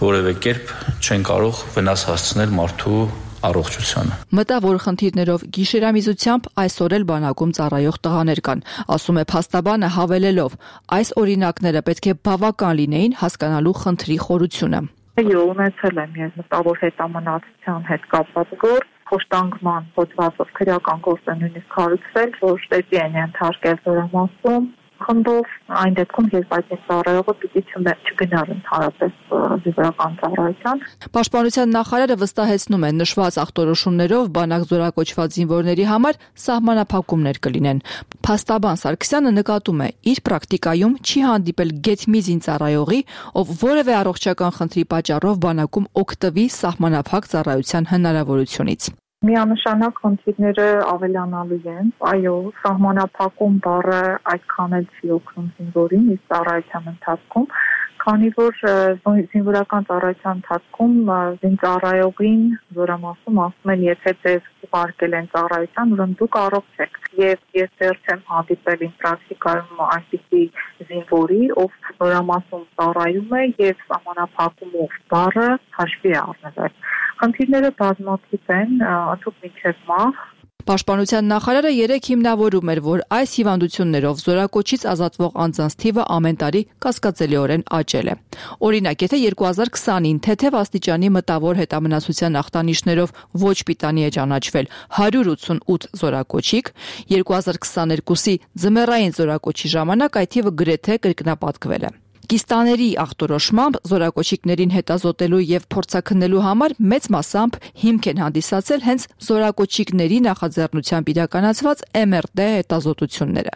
որևէ կերպ չեն կարող վնաս հասցնել մարդու առողջությանը։ Մտավոր խնդիրներով գիշերամիզությամբ այսօր էլ բանակում ծառայող տղաներ կան, ասում է փաստաբանը, հավելելով, այս օրինակները պետք է բավական լինեին հասկանալու խնդրի խորությունը։ Եվ ունեցել եմ ես մտավոր հետամնացության հետ կապված գործ, խոշտանգման հոդվածով քրեական գործ է նույնիսկ հարուցվել, որ շտեցի են ենթարկել զորամասում խնդով, այն դեպքում երբ այդ ծառայողը պիտի չգնար ընդհանրապես զինվորական ծառայության։ Պաշտպանության նախարարը վստահեցնում է, նշված ախտորոշումներով բանակ զորակոչված զինվորների համար սահմանափակումներ կլինեն։ Փաստաբան Սարգսյանը նկատում է, իր պրակտիկայում չի հանդիպել գեթ մի զինծառայողի, ով որևէ առողջական խնդրի պատճառով բանակում օգտվի սահմանափակ ծառայության հնարավորությունից։ Միանշանակ խնդիրները ավելանալու են, այո, սահմանափակում բառը այդքան էլ չի օգնում զինվորին իր ծառայության ընթացքում, քանի որ զինվորական ծառայության ընթացքում զինծառայողին զորամասում ասում են, եթե ձեզ ուղարկել են ծառայության, ուրեմն դուք առողջ եք։ Եվ ես դեռ չեմ հանդիպել իմ պրակտիկայում այնպիսի զինվորի, ով զորամասում ծառայում է եւ սահմանափակումով բառը հաշվի է առնվել։ Խնդիրները բազմաթիվ են, ընդհանուր մինչև մահ։ Պաշտպանության նախարարը երեկ հիմնավորում էր, որ այս հիվանդություններով զորակոչից ազատվող անձանց թիվը ամեն տարի կասկածելիորեն աճել է։ Օրինակ, եթե 2020-ին թեթև աստիճանի մտավոր հետամնացության ախտանիշներով ոչ պիտանի է ճանաչվել 188 զորակոչիկ, 2022-ի ձմեռային զորակոչի ժամանակ այդ թիվը գրեթե կրկնապատկվել է։ Կիստաների ախտորոշմամբ զորակոչիկներին հետազոտելու եւ փորձաքննելու համար մեծ մասամբ հիմք են հանդիսացել հենց զորակոչիկների նախաձեռնությամբ իրականացված MRT հետազոտությունները։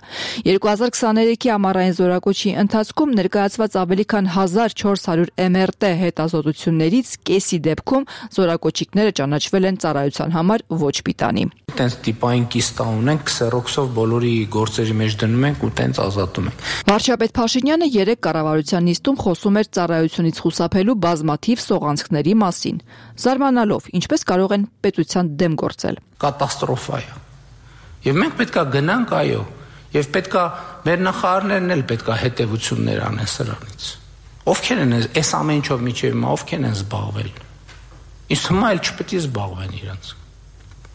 2023-ի ամառային զորակոչի ընթացքում ներկայացված ավելի քան 1400 MRT հետազոտություններից կեսի դեպքում զորակոչիկները ճանաչվել են ծառայության համար ոչ պիտանի։ Տենց տիպային կիստա ունենք, քսերոքսով բոլորի գործերի մեջ դնում ենք ու տենց ազատում ենք։ Վարչապետ Փաշինյանը երեք կառավարության նիստում խոսում էր ծառայությունից խուսափելու բազմաթիվ սողանցքների մասին, զարմանալով, ինչպես կարող են պետության դեմ գործել։ Կատաստրոֆա է։ Եվ մենք պետքա գնանք, այո, եւ պետքա մեր նախարարներն էլ պետքա հետեւություններ անեն սրանից։ Ովքեր են այս ամեն ինչով միջև հիմա ովքեր են զբաղվել։ Իսկ հիմա էլ չպետք է զբաղվեն իրանց։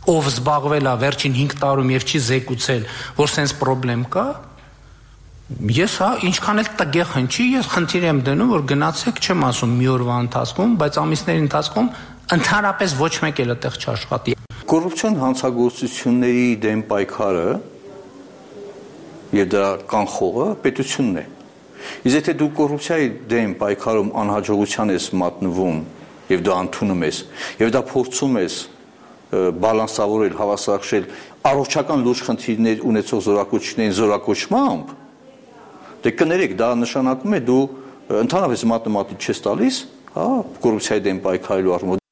Ով զբաղվել է վերջին 5 տարում եւ չի զեկուցել, որ սենց խնդրեմ կա, ես ինչքան էլ տգեղ հնչի, ես խնդիր եմ դնում, որ գնացեք, չեմ ասում մի օրվա ընթացքում, բայց ամիսների ընթացքում ընդհանրապես ոչ մեկ էլ այդտեղ չաշխատի։ Կոռուպցիոն հանցագործությունների դեմ պայքարը եւ դրա կանխողը պետությունն է։ Իսկ եթե դու կոռուպցիայի դեմ պայքարում անհաջողության ես մատնվում եւ դու ընդունում ես եւ դա փորձում ես բալանսավորել, հավասարակշռել առողջական լուրջ խնդիրներ ունեցող զորակոչներին զորակոչմամբ, դե կներեք, դա նշանակում է դու ընդհանրապես մաթեմատիկ չես տալիս, կոռուպցիայի դեմ պայքարելու առումով։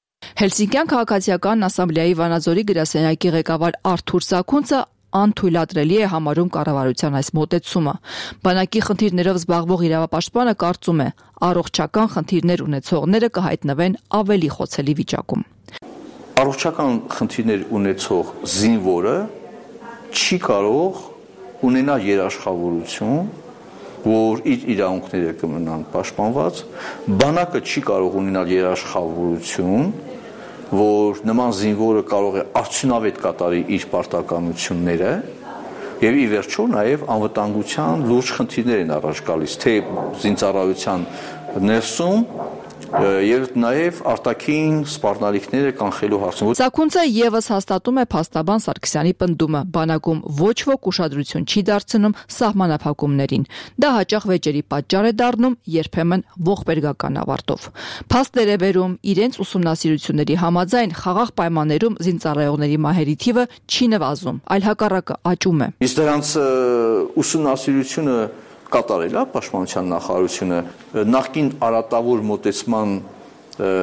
Հելսինկյան քաղաքացիական ասամբլեայի Վանաձորի գրասենյակի ղեկավար Արթուր Սաքունցը անթույլատրելի է համարում կառավարության այս մոտեցումը։ Բանակի խնդիրներով զբաղվող իրավապաշտպանը կարծում է, առողջական խնդիրներ ունեցողները կհայտնվեն ավելի խոցելի վիճակում։ Առողջական խնդիրներ ունեցող զինվորը չի կարող ունենալ երաշխավորություն, որ իր իրավունքները կմնան պաշտպանված, բանակը չի կարող ունենալ երաշխավորություն, որ նման զինվորը կարող է արդյունավետ կատարի իր պարտականությունները եւ ի վերջո նաեւ անվտանգության լուրջ խնդիրներ են առաջ գալիս, թե զինծառայության ներսում եւ նաեւ արտաքին սպառնալիքները կանխելու հարցում։ Սաքունցը եւս հաստատում է փաստաբան Սարգսյանի պնդումը, բանակում ոչ ոք ուշադրություն չի դարձնում սահմանափակումներին։ Դա հաճախ վեճերի պատճառ է դառնում, երբեմն ողբերգական ավարտով։ Փաստեր է բերում, իրենց ուսումնասիրությունների համաձայն խաղաղ պայմաններում զինծառայողների մահերի թիվը չի նվազում, այլ հակառակը աճում է։ Իսկ դրանց ուսումնասիրությունը կատարել է պաշտպանության նախարարությունը նախկին արատավոր մոտեցման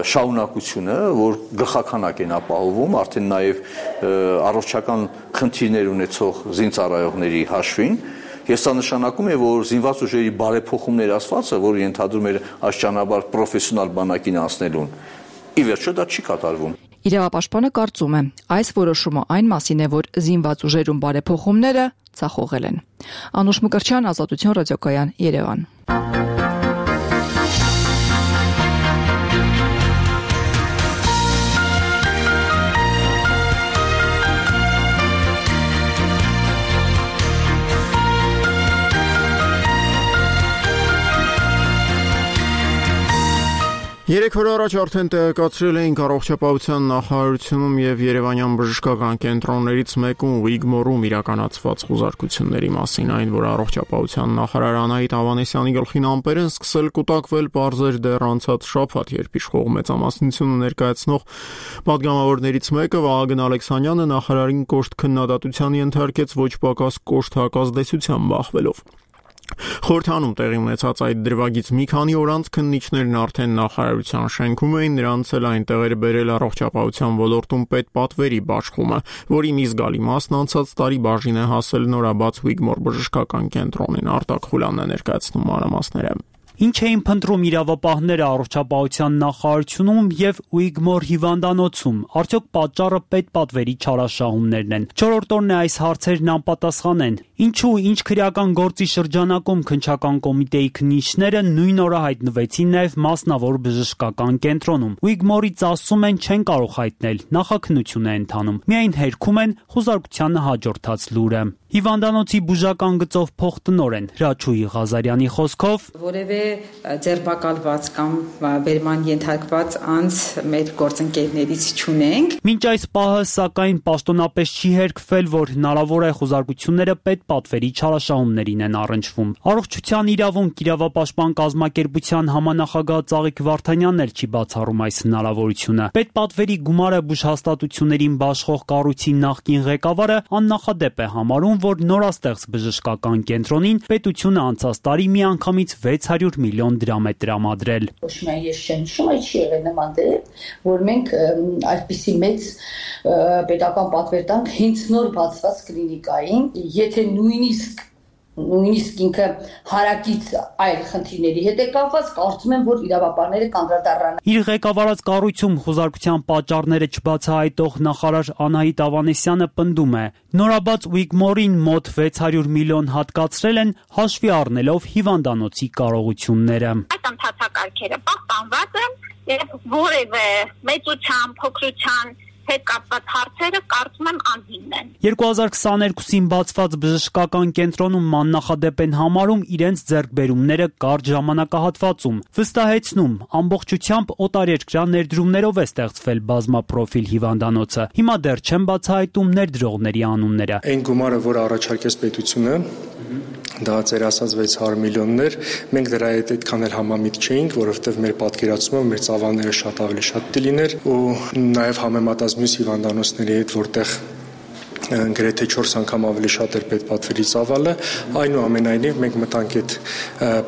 շարունակությունը, որ գլխականակ են ապահովում, արդեն նաև առողջական խնդիրներ ունեցող զինծառայողների հաշվին, ես դա նշանակում է, որ զինված ուժերի բարեփոխումներ ասվածը, որ ենթադրում էր աշճանաբար պրոֆեսիոնալ բանակին անցնելուն, ի վերջո դա չի կատարվում։ Իրավապաշտպանը կարծում է, այս որոշումը այն մասին է, որ զինված ուժերում բարեփոխումները ցախողել են։ Անուշ Մկրտչյան, Ազատություն ռադիոկայան, Երևան։ Երեք օր առաջ արդեն տեղեկացրել էինք առողջապահության նախարարությունում եւ Երևանյան բժշկական կենտրոններից մեկում Ուիգմորում իրականացված խուզարկությունների մասին, այն որ առողջապահության նախարար Անահիտ Ավանեսյանի գլխին ամպեր են սկսել կուտակվել բարձր դեռ անցած շաբաթ, երբ իշխող մեծամասնությունը ներկայացնող պատգամավորներից մեկը Վահագն Ալեքսանյանը նախարարին կոշտ քննադատության ենթարկեց ոչ պակաս կոշտ հակազդեցության բախվելով։ Խորհրդանում տեղի ունեցած այդ դրվագից մի քանի օր անց քննիչներն արդեն նախարարության շենքում էին, նրանց էլ այնտեղ էր բերել առողջապահության ոլորտում պետպատվերի բաշխումը, որի մի զգալի մասն անցած տարի բաժին է հասել նորաբաց Ուիգմոր բժշկական կենտրոնին։ Արտակ Խուլյանն է ներկայացնում մանրամասները։ Ինչ էին փնտրում իրավապահները առողջապահության նախարարությունում եւ Ուիգմոր հիվանդանոցում։ Արդյոք պատճառը պետպատվերի չարաշահումներն են։ Չորրորդ օրն է այս հարցերն անպատասխան են։ Ինչու ինչ քրեական գործի շրջանակում քննչական կոմիտեի քննիչները նույն օրը հայտնվեցին նաեւ մասնավոր բժշկական կենտրոնում։ Ուիգմորից ասում են չեն կարող հայտնել, նախաքննություն է ընթանում։ Միայն հերքում են խոզարկությանը հաջորդած լուրը։ Հիվանդանոցի բուժական գծով փոխտնօրեն Հրաչուհի Ղազարյանի խոսքով որևէ ձերբակալված կամ վերման ենթարկված անձ մեր գործընկերներից չունենք։ Մինչ այս պահը սակայն պաշտոնապես չի հերքվել, որ հնարավոր է խոզարկությունները պետպատվերի չարաշահումներին են առնչվում։ Առողջության իրավունք իրավապաշտպան կազմակերպության համանախագահ Ծաղիկ Վարդանյանն էլ չի բացառում այս հնարավորությունը։ Պետպատվերի գումարը բուժհաստատություններին բաշխող կառույցի նախկին ղեկավարը աննախադեպ է համարում, որ նորաստեղծ բժշկական կենտրոնին պետությունը անցած տարի միանգամից 600 միլիոն դրամ է տրամադրել։ Ոչ միայն ես չեմ հիշում, այլ չի եղել նման դեպք, որ մենք այսպիսի մեծ պետական պատվեր տանք հենց նոր բացված կլինիկային, եթե նույնիսկ ինքը հարակից այլ խնդիրների հետ է կապված, կարծում եմ, որ իրավապահները կանդրադառնան։ Իր ղեկավարած կառույցում խոզարկության պատճառները չբացահայտող նախարար Անահիտ Ավանեսյանը պնդում է. նորաբաց Ուիգմորին մոտ 600 միլիոն հատկացրել են հաշվի առնելով հիվանդանոցի կարողությունները։ Այդ ընթացակարգերը պահպանված են եւ որևէ մեծության, փոքրության հետ կապված հարցերը կարծում եմ անհիմն են։ 2022-ին բացված բժշկական կենտրոնում աննախադեպ են համարում իրենց ձեռքբերումները կարճ ժամանակահատվածում։ Վստահեցնում, ամբողջությամբ օտարերկրյա ներդրումներով է ստեղծվել բազմապրոֆիլ հիվանդանոցը։ Հիմա դեռ չեն բացահայտում ներդրողների անունները։ Այն գումարը, որ առաջարկեց պետությունը, դա ծեր ասած 600 միլիոններ, մենք դրա հետ այդքան էլ համամիտ չէինք, որովհետև մեր պատկերացումը մեր ծավալները շատ ավելի շատ դիլիներ ու նաև համեմատած մյուս հիվանդանոցների հետ, որտեղ գրեթե 4 անգամ ավելի շատ էր պետպատվերի ծավալը, այնուամենայնիվ մենք մտանք այդ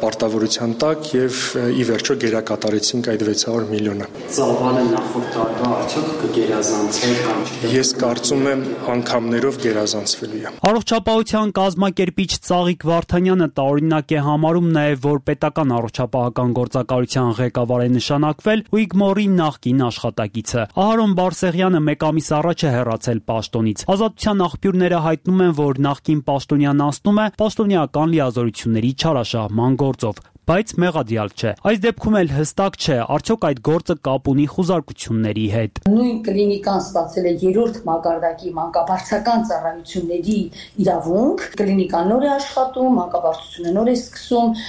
պարտավորության տակ եւ ի վերջո գերակատարեցինք այդ 600 միլիոնը։ Ծավալը նախորդ տարվա արդյոք կգերազանցել կամ չէ։ Ես կարծում եմ անգամներով գերազանցվելու է։ Առողջապահության կազմակերպիչ Ծաղիկ Վարդանյանը տարօրինակ է համարում նաև, որ պետական առողջապահական գործակալության ղեկավար է նշանակվել Ուիգմորի նախկին աշխատակիցը։ Ահարոն Բարսեղյանը մեկ ամիս առաջ է հեռացել պաշտոնից։ Ազատության աղբյուրները հայտնում են, որ նախկին պաշտոնյան անցնում է պաշտոնեական լիազորությունների չարաշահման գործով, բայց մեղադիալ չէ։ Այս դեպքում էլ հստակ չէ, արդյոք այդ գործը կապ ունի խոզարկությունների հետ։ Նույն կլինիկան ստացել է 3-րդ մակարդակի մանկաբարձական ծառայությունների իրավունք, կլինիկան նոր է աշխատում, մանկաբարձությունը նոր է սկսում,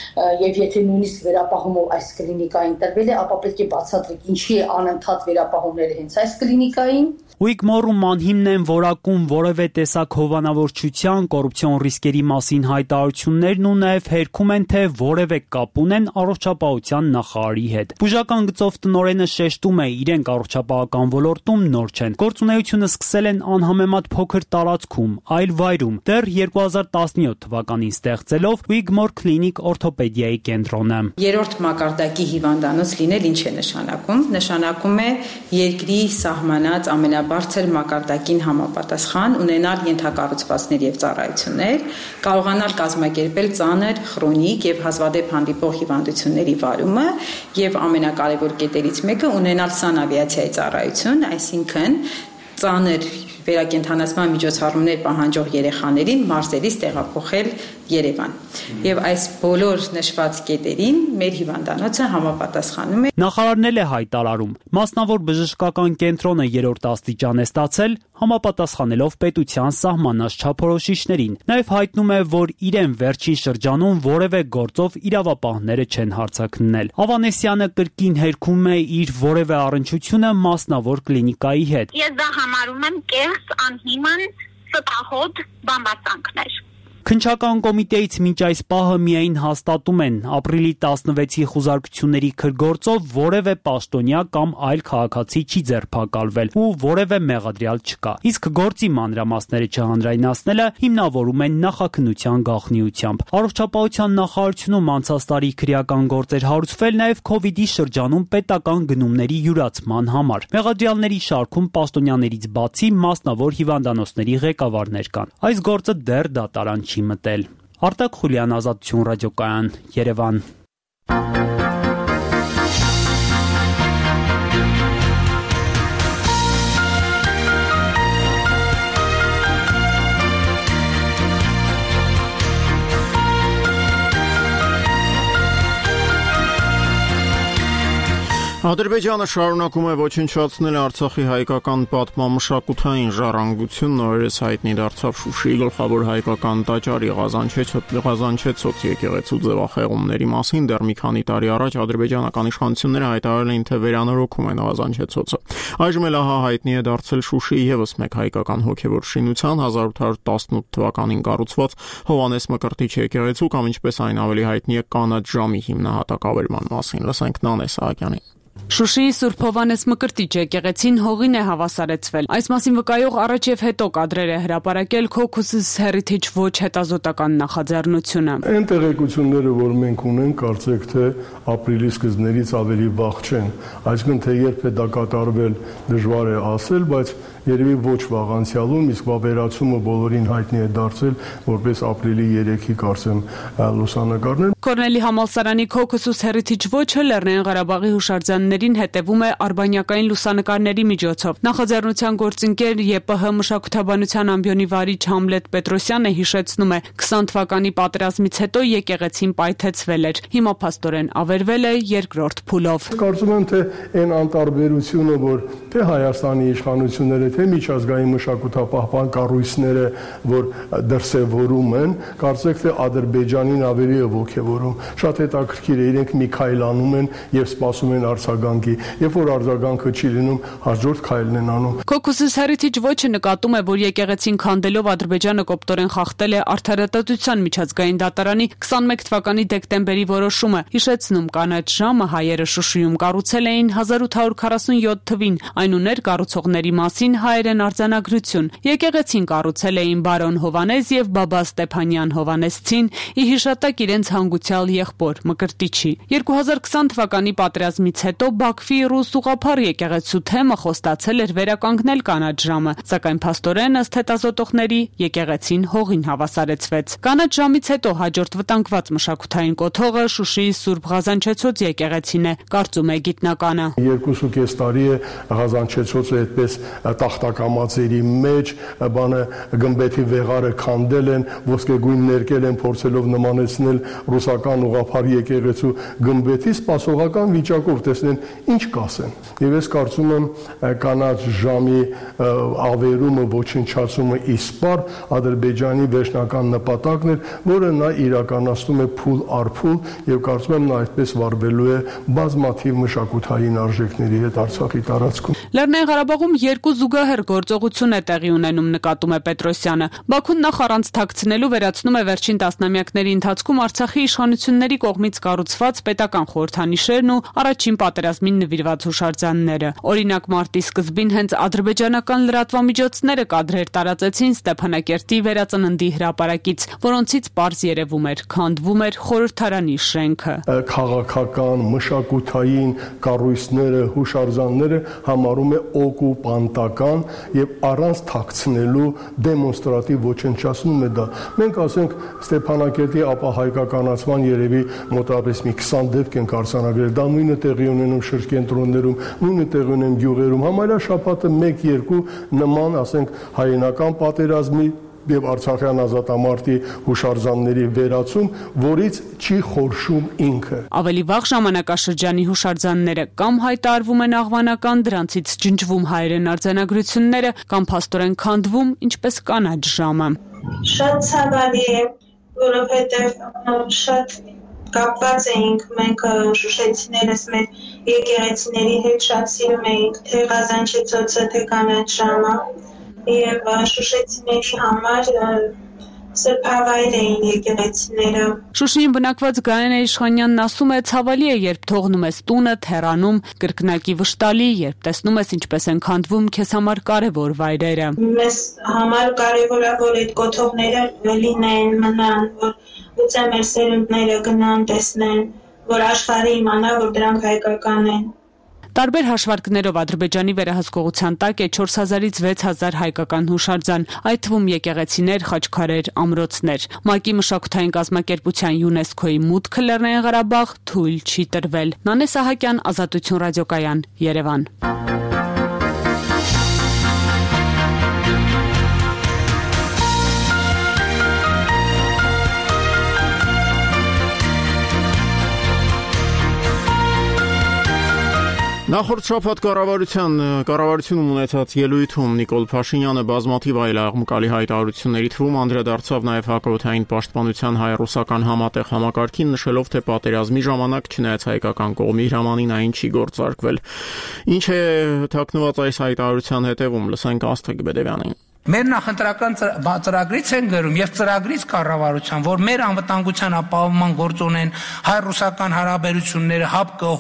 եւ եթե նույնիսկ վերապահումով այս կլինիկային տրվել է, ապա պետք է բացատրեք ինչի է անընդհատ վերապահումները հենց այս կլինիկային։ Ուիգմորում անհիմն են որակում որևէ տեսակ հովանավորչության, կոռուպցիոն ռիսկերի մասին հայտարարություններն ու նաև հերքում են, թե որևէ կապ ունեն առողջապահության նախարարի հետ։ Բուժական գծով տնօրենը շեշտում է, իրենք առողջապահական ոլորտում նոր չեն։ Գործունեությունը սկսել են անհամեմատ փոքր տարածքում, այլ վայրում, դեռ 2017 թվականին ստեղծելով Ուիգմոր Clinic օրթոպեդիայի կենտրոնը։ Երրորդ մակարդակի հիվանդանոց լինել ինչ է նշանակում։ Նշանակում է երկրի սահմանած ամենաբարձր մակարդակին համապատասխան ունենալ ենթակառուցվածքներ եւ ծառայություններ, կարողանալ կազմակերպել ծանր, քրոնիկ եւ հազվադեպ հանդիպող հիվանդությունների վարումը եւ ամենակարևոր կետերից մեկը ունենալ սանավիացիայի ծառայություն, այսինքն ծանր վերակենդանացման միջոցառումներ պահանջող երեխաներին մարզերից տեղափոխել Երևան։ Եվ այս բոլոր նշված կետերին մեր հիվանդանոցը համապատասխանում է։ Նախարարն էլ է հայտարարում, մասնավոր բժշկական կենտրոնը 3-րդ աստիճան է ստացել, համապատասխանելով պետության սահմանած չափորոշիչներին։ Նաև հայտնում է, որ իրեն վերջին շրջանում որևէ գործով իրավապահները չեն հարձակնել։ Ավանեսյանը կրկին հերքում է իր որևէ առնչությունը մասնավոր կլինիկայի հետ։ Ես դա համարում եմ կեղծ, անհիմն, ստահոդ բամբասանքներ։ Քննչական կոմիտեից մինչ այս պահը միայն հաստատում են ապրիլի 16-ի խոզարկությունների քրգործով որևէ պաշտոնյա կամ այլ քաղաքացի չի ձերբակալվել ու որևէ մեղադրյալ չկա։ Իսկ գործի մանրամասները չհանրայնացնելը հիմնավորում են նախաքննության գաղտնիությամբ։ Առողջապահության նախարարությունում անցած տարի քրեական գործեր հարուցվել նաև կ-ի շրջանում պետական գնումների յուրացման համար։ Մեղադրյալների շարքում պաշտոնյաներից բացի մասնավոր հիվանդանոցների ղեկավարներ կան։ Այս գործը դեռ դատարան չի մտել։ Արտակ Խուլյան, Ազատություն ռադիոկայան, Երևան։ Ադրբեջանը շարունակում է ոչնչացնել Արցախի հայկական պատմամշակութային ժառանգությունն, օրերս հայտնի դարձավ Շուշիի գլխավոր հայկական տաճարի Ղազանչեցոց եկեղեցու ձևախեղումների մասին։ Դեռ մի քանի տարի առաջ ադրբեջանական իշխանությունները հայտարարել էին, թե վերանորոգում են Ղազանչեցոցը։ Այժմ էլ ահա հայտնի է դարձել Շուշիի ևս մեկ հայկական հոգևոր շինության 1818 թվականին կառուցված Հովհաննես Մկրտիչ եկեղեցու կամ ինչպես այն ավելի հայտնի է Կանաչ ժամի հիմնահատակավերման մասին։ Լսենք Նանե Սահակյանին։ Շուշիի Սուրբ Հովհաննես Մկրտիչ եկեղեցին հողին է հավասարեցվել։ Այս մասին վկայող առաջ եւ հետո կադրեր է հրապարակել Caucasus Heritage Watch հետազոտական նախաձեռնությունը։ Այն տեղեկությունները, որ մենք ունենք, կարծեք թե ապրիլի սկզբներից ավելի վաղ չեն։ Այսինքն թե երբ է դա կատարվել, դժվար է ասել, բայց երևի ոչ վաղ անցյալում, իսկ վավերացումը բոլորին հայտնի է դարձել որպես ապրիլի 3-ի կարծեմ լուսանկարներ։ Կորնելի համալսարանի Caucasus Heritage Watch-ը Լեռնային Ղարաբաղի հուշարձաններին հետևում է արբանյակային լուսանկարների միջոցով։ Նախաձեռնության գործընկեր ԵՊՀ մշակութաբանության ամբիոնի վարիչ Համլետ Պետրոսյանը հիշեցնում է, 20 թվականի պատերազմից հետո եկեղեցին պայթեցվել էր։ Հիմա փաստորեն ավերվել է երկրորդ փուլով։ Կարծում եմ, թե այն անտարբերությունը, որ թե Հայաստանի իշխանությունները, թե միջազգային մշակութապահպան կառույցները, որ դրսևորում են, կարծեք թե Ադրբեջանին ավելի է ոգևորում։ Շատ հետաքրքիր է, իրենք մի քայլ անում են եւ սպասում են արձագանքի։ Երբ որ արձագանքը չի լինում, հաջորդ քայլն են անում։ Caucasus Heritage Watch-ը նկատում է, որ եկեղեցին քանդելով Ադրբեջանը կոպտորեն խախտել է Արդարադատության միջազգային դատարանի 21 թվականի դեկտեմբերի որոշումը։ Հիշեցնում, Կանաչ ժամը հայերը Շուշիում կառուցել էին 1847 թվին։ Այն ուներ կառուցողների մասին հայերեն արձանագրություն։ Եկեղեցին կառուցել էին բարոն Հովհաննես եւ բաբա Ստեփանյան Հովհաննեսցին՝ ի հիշատակ իրենց հանգուցյալ եղբոր Մկրտիչի։ 2020 թվականի պատերազմից հետո Բաքվի ռուս ուղղափառ եկեղեցու թեմը խոստացել էր վերականգնել Կանաչ ժամը, սակայն փաստորեն ըստ հետազոտողների եկեղեցին հողին հավասարեցվեց։ Կանաչ ժամից հետո հաջորդ վտանգված մշակութային կոթողը Շուշիի Սուրբ Ղազանչեցոց եկեղեցին է, կարծում է գիտնականը։ 2.5 տարի է Ղազանչեցոցը այդպես տախտակամածերի մեջ գմբեթի վեղարը քանդել են, ոսկեգույն ներկել են, փորձելով նմանեցնել ռուսական ուղղափառ եկեղեցու գմբեթի, սպասողական վիճակով տեսնեն ինչ կասեն։ Եվ ես կարծում եմ Կանաչ ժամի ավերումը, ոչնչացումը իսպար Ադրբեջանի վերջնական նպատակն էր, որը նա իրականացնում է փուլ առ փուլ եւ կարծում եմ նա այդպես վարվելու է բազմաթիվ մշակութային արժեքների հետ Արցախի տարածքում։ Լեռնային Ղարաբաղում երկու զուգահեռ գործողություն է տեղի ունենում, նկատում է Պետրոսյանը։ Բաքուն նախ առանց թաքցնելու վերացնում է վերջին տասնամյակների ընթացքում Արցախի իշխանությունների կողմից կառուցված պետական խորհրդանիշերն ու առաջին պատերազմին նվիրված հուշարձանները։ Օրինակ, մարտի սկզբին հենց ադրբեջանական լրատվամիջոցները կադրեր տարածեցին Ստեփանակերտի վերածննդի հրապարակից, որոնցից պարզ երևում էր, քանդվում էր խորհրդարանի շենքը։ Քաղաքական, մշակութային կառույցները, հուշարձանները համարում է օկուպանտական եւ առանց թաքցնելու դեմոնստրատիվ ոչնչացնում է դա։ Մենք ասենք Ստեփանակերտի ապահայկականացման երևի մոտավորապես մի 20 դեպք են արձանագրել։ Դա նույնը տեղի ունենում շրջենտրոններում, նույնը տեղի ունեն գյուղերում։ Համարյա շաբաթը 1-2 նման, ասենք, հայերենական պատերազմի եւ Արցախյան ազատամարտի հուշարձանների վերացում, որից չի խորշում ինքը։ Ավելի վաղ ժամանակաշրջանի հուշարձանները կամ հայտարարվում են աղվանական, դրանցից ջնջվում հայերեն արձանագրությունները, կամ փաստորեն քանդվում, ինչպես Կանաչ ժամը։ Շատ ցավալի է, որովհետեւ շատ կապված էինք մենք շուշեցիներս մեր եկեղեցիների հետ, շատ սիրում էինք թե Ղազանչեցոցը, թե Կանաչ ժամը։ Եվ շուշեցիների համար սրբավայր էին եկեղեցիները։ Շուշիին բնակված Գայանե Իշխանյանն ասում է, ցավալի է, երբ թողնում ես տունը, թեռանում, կրկնակի վշտալի, երբ տեսնում ես ինչպես են քանդվում քեզ համար կարևոր վայրերը։ Մեզ համար կարևոր է, որ այդ կոթողները լինեն, մնան, որ գուցե մեր սերունդները գնան, տեսնեն, որ աշխարհը իմանա, որ դրանք հայկական են։ Տարբեր հաշվարկներով Ադրբեջանի վերահսկողության տակ է 4000-ից 6000 հայկական հուշարձան, այդ թվում եկեղեցիներ, խաչքարեր, ամրոցներ։ ՄԱԿ-ի մշակութային կազմակերպության ՅՈՒՆԵՍԿՕ-ի մուտքը Լեռնային Ղարաբաղ թույլ չի տրվել։ Նանե Սահակյան, Ազատություն ռադիոկայան, Երևան։ Նախորդ շաբաթ կառավարությունում ունեցած ելույթում Նիկոլ Փաշինյանը բազմաթիվ այլ աղմկալի հայտարարությունների թվում անդրադարձավ նաև հակաօդային պաշտպանության հայ-ռուսական համատեղ համակարգին, նշելով, թե պատերազմի ժամանակ չնայած հայկական կողմի հրամանին այն չի գործարկվել։ Ինչ է թաքնված այս հայտարարության հետևում, լսենք Աստղիկ Բեդևյանին։ Մեր նախընտրական ծրագրից են գրում եւ ծրագրից կառավարության, որ մեր անվտանգության ապահովման գործ ունեն հայ-ռուսական հարաբերությունները, ՀԱՊԿ,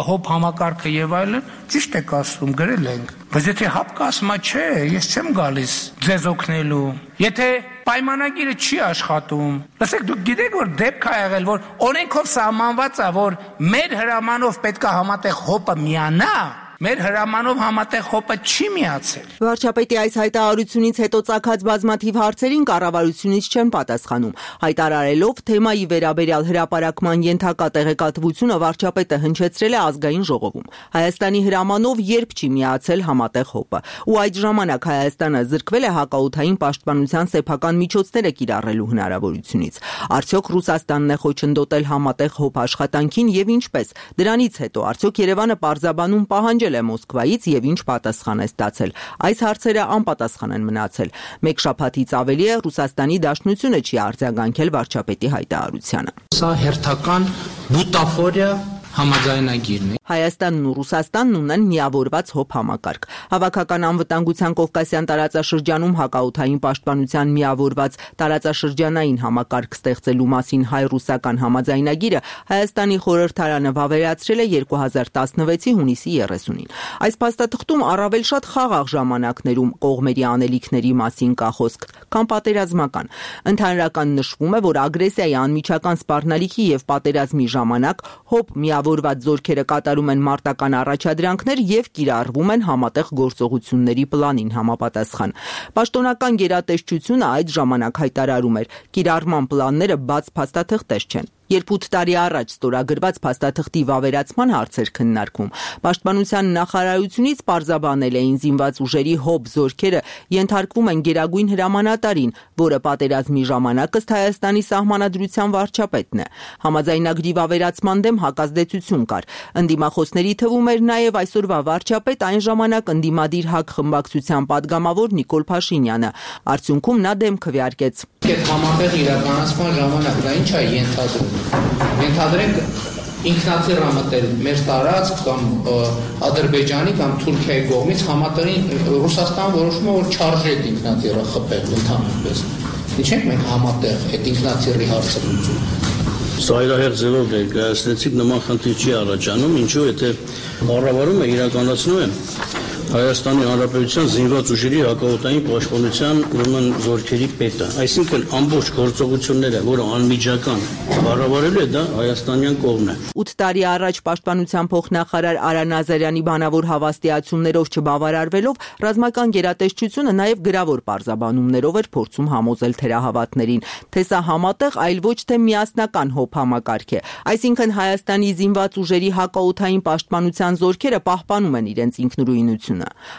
հոբ համակարգը եւ այլն, ճիշտ եք ասում, գրել ենք։ Բայց եթե ՀԱՊԿ ասում է, չէ, ես չեմ գալիս ձեզ օգնելու։ Եթե պայմանագիրը չի աշխատում, լսեք, դուք գիտեք, որ դեպք է եղել, որ օրենքով սահմանված է, որ մեր հրամանով պետք է համատեղ ՀՕՊ-ը միանա, մեր հրամանով համատեղ ՀՕՊ-ը չի միացել։ Վարչապետի այս հայտարարությունից հետո ծագած բազմաթիվ հարցերին կառավարությունից չեն պատասխանում։ Հայտարարելով թեմայի վերաբերյալ հրապարակման ենթակա տեղեկատվությունը վարչապետը հնչեցրել է ազգային ժողովում։ Հայաստանի հրամանով երբ չի միացել համատեղ ՀՕՊ-ը, ու այդ ժամանակ Հայաստանը զրկվել է հակաօդային պաշտպանության սեփական միջոցները կիրառելու հնարավորությունից։ Արդյոք Ռուսաստանն է խոչընդոտել համատեղ ՀՕՊ աշխատանքին եւ ինչպես։ Դրանից հետո արդյոք Երևանը պարզաբանում պահանջել է Մոսկվայից եւ ինչ պատասխան է ստացել։ Այս հարցերը անպատասխան են մնացել։ Մեկ շաբաթից ավելի է Ռուսաստանի Դաշնությունը չի արձագանքել վարչապետի հայտարարությանը։ Սա հերթական բուտաֆորիա համաձայնագիրն է։ Հայաստանն ու Ռուսաստանն ունեն միավորված ՀՕՊ համակարգ։ Հավաքական անվտանգության Կովկասյան տարածաշրջանում հակաօդային պաշտպանության միավորված տարածաշրջանային համակարգ ստեղծելու մասին հայ-ռուսական համաձայնագիրը Հայաստանի խորհրդարանը վավերացրել է 2016-ի հունիսի 30-ին։ Այս փաստաթղթում առավել շատ խաղաղ ժամանակներում կողմերի անելիքների մասին կա խոսք, քան պատերազմական։ Ընդհանրական նշվում է, որ ագրեսիայի անմիջական սպառնալիքի եւ պատերազմի ժամանակ ՀՕՊ միավորված զորքերը կատարում են մարտական առաջադրանքներ եւ կիրառվում են համատեղ գործողությունների պլանին համապատասխան։ Պաշտոնական գերատեսչությունը այդ ժամանակ հայտարարում էր՝ կիրառման պլանները բաց փաստաթղթեր չեն։ Երբ 8 տարի առաջ ստորագրված փաստաթղթի վավերացման հարցեր քննարկվում, Պաշտպանության նախարարությունից պարզաբանել էին զինված ուժերի ՀՕՊ զորքերը ենթարկվում են գերագույն հրամանատարին, որը պատերազմի ժամանակ ըստ Հայաստանի սահմանադրության վարչապետն է։ Համաձայնագրի վավերացման դեմ հակազդեցություն կար։ Ընդդիմախոսների թվում էր նաև այսօրվա վարչապետ այն ժամանակ ընդդիմադիր ՀԱԿ խմբակցության падգամավոր Նիկոլ Փաշինյանը։ Արդյունքում նա դեմ քվեարկեց։ Այդ համատեղ իրականացման ժամանակ դա ինչ է ենթադրում։ Ենթադրենք ինքնաթիռ համատեղ մեր տարածք կամ Ադրբեջանի կամ Թուրքիայի կողմից համատեղին Ռուսաստան որոշում է, որ չարժե այդ ինքնաթիռը խփել ընդհանրապես։ Ինչ ենք մենք համատեղ այդ ինքնաթիռի հարցը լուծում։ Սա իրահեղ ձևով ներկայացնեցիք, նման խնդիր չի առաջանում, ինչու եթե կառավարումը իրականացնում է Հայաստանի Հանրապետության զինված ուժերի հակաօդային պաշտպանության ուրեմն զորքերի պետը, այսինքն ամբողջ գործողությունները, որը անմիջական կառավարելու է, դա հայաստանյան կողմն է։ 8 տարի առաջ Պաշտպանության փոխնախարար Արա Նազարյանի բանավոր հավաստիացումներով չբավարարվելով ռազմական գերատեսչությունը նաև գրավոր պարզաբանումներով էր փորձում համոզել թերահավատներին, թե սա համատեղ, այլ ոչ թե միասնական ՀՕՊ համակարգ է։ Այսինքն Հայաստանի զինված ուժերի հակաօդային պաշտպանության զորքերը պահպանում են իրենց ինքնուրույնությունը։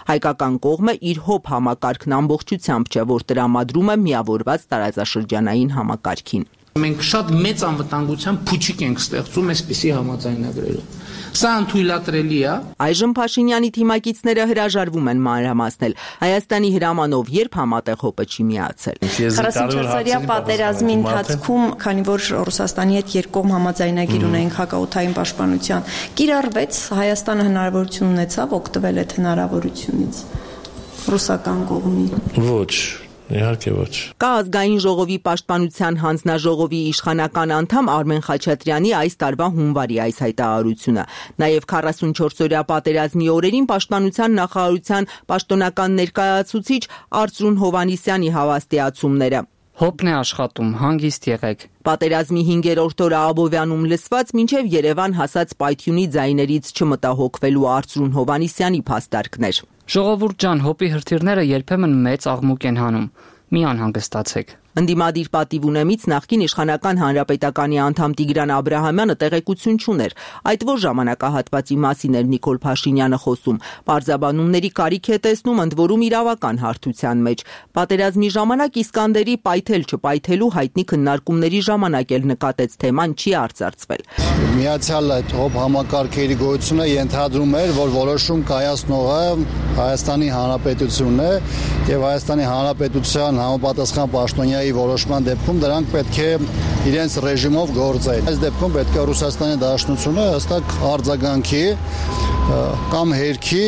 Հայկական կողմը իր ՀՕՊ համակարգն ամբողջությամբ չէ, որ տրամադրում է միավորված տարածաշրջանային համակարգին։ Մենք շատ մեծ անվտանգության փուչիկ ենք ստեղծում այսպիսի համաձայնագրերով։ Սա անթույլատրելի է։ Այժմ Փաշինյանի թիմակիցները հրաժարվում են մանրամասնել Հայաստանի հրամանով երբ համատեղ ՀՕՊ-ը չի միացել։ 44-օրյա պատերազմի ընթացքում, քանի որ Ռուսաստանի հետ երկկողմ համաձայնագիր ունենք հակաօդային պաշտպանության, կիրառվեց, Հայաստանը հնարավորություն ունեցավ օգտվել այդ հնարավորությունից ռուսական կողմի։ Ոչ, իհարկե ոչ։ Կա ազգային ժողովի պաշտպանության հանձնաժողովի իշխանական անդամ Արմեն Խաչատրյանի այս տարվա հունվարի այս հայտարարությունը, նաև 44-օրյա պատերազմի օրերին պաշտպանության նախարարության պաշտոնական ներկայացուցիչ Արծրուն Հովհաննիսյանի հավաստիացումները։ Հոպն է աշխատում, հանգիստ եղեք։ Պատերազմի 5-րդ օրը Աբովյանում լսված մինչև Երևան հասած պայթյունի ձայներից չմտահոգվելու Արծրուն Հովանիսյանի փաստարկներ։ Ժողովուրդ ջան, հոպի հրթիռները երբեմն մեծ աղմուկ են հանում։ Մի անհանգստացեք։ Ընդդիմադիր պատիվ ունեմից նախկին իշխանական հանրապետականի անդամ Տիգրան Աբրահամյանը տեղեկություն չուներ, այդ որ ժամանակահատվածի մասին էր Նիկոլ Փաշինյանը խոսում։ Պարզաբանումների կարիք է տեսնում, ընդ որում իրավական հարթության մեջ։ Պատերազմի ժամանակ Իսկանդերի պայթել չպայթելու հայտնի քննարկումների ժամանակ էլ նկատեց թեման չի արծարծվել։ Միացյալ այդ հոբ համակարգերի գոյությունը ենթադրում էր, որ որոշում կայացնողը Հայաստանի Հանրապետությունն է եւ Հայաստանի Հանրապետության համապատասխան պաշտոնյայի որոշման դեպքում դրանք պետք է իրենց ռեժիմով գործեն։ Այս դեպքում պետք է Ռուսաստանի Դաշնությունը հստակ արձագանքի կամ հերքի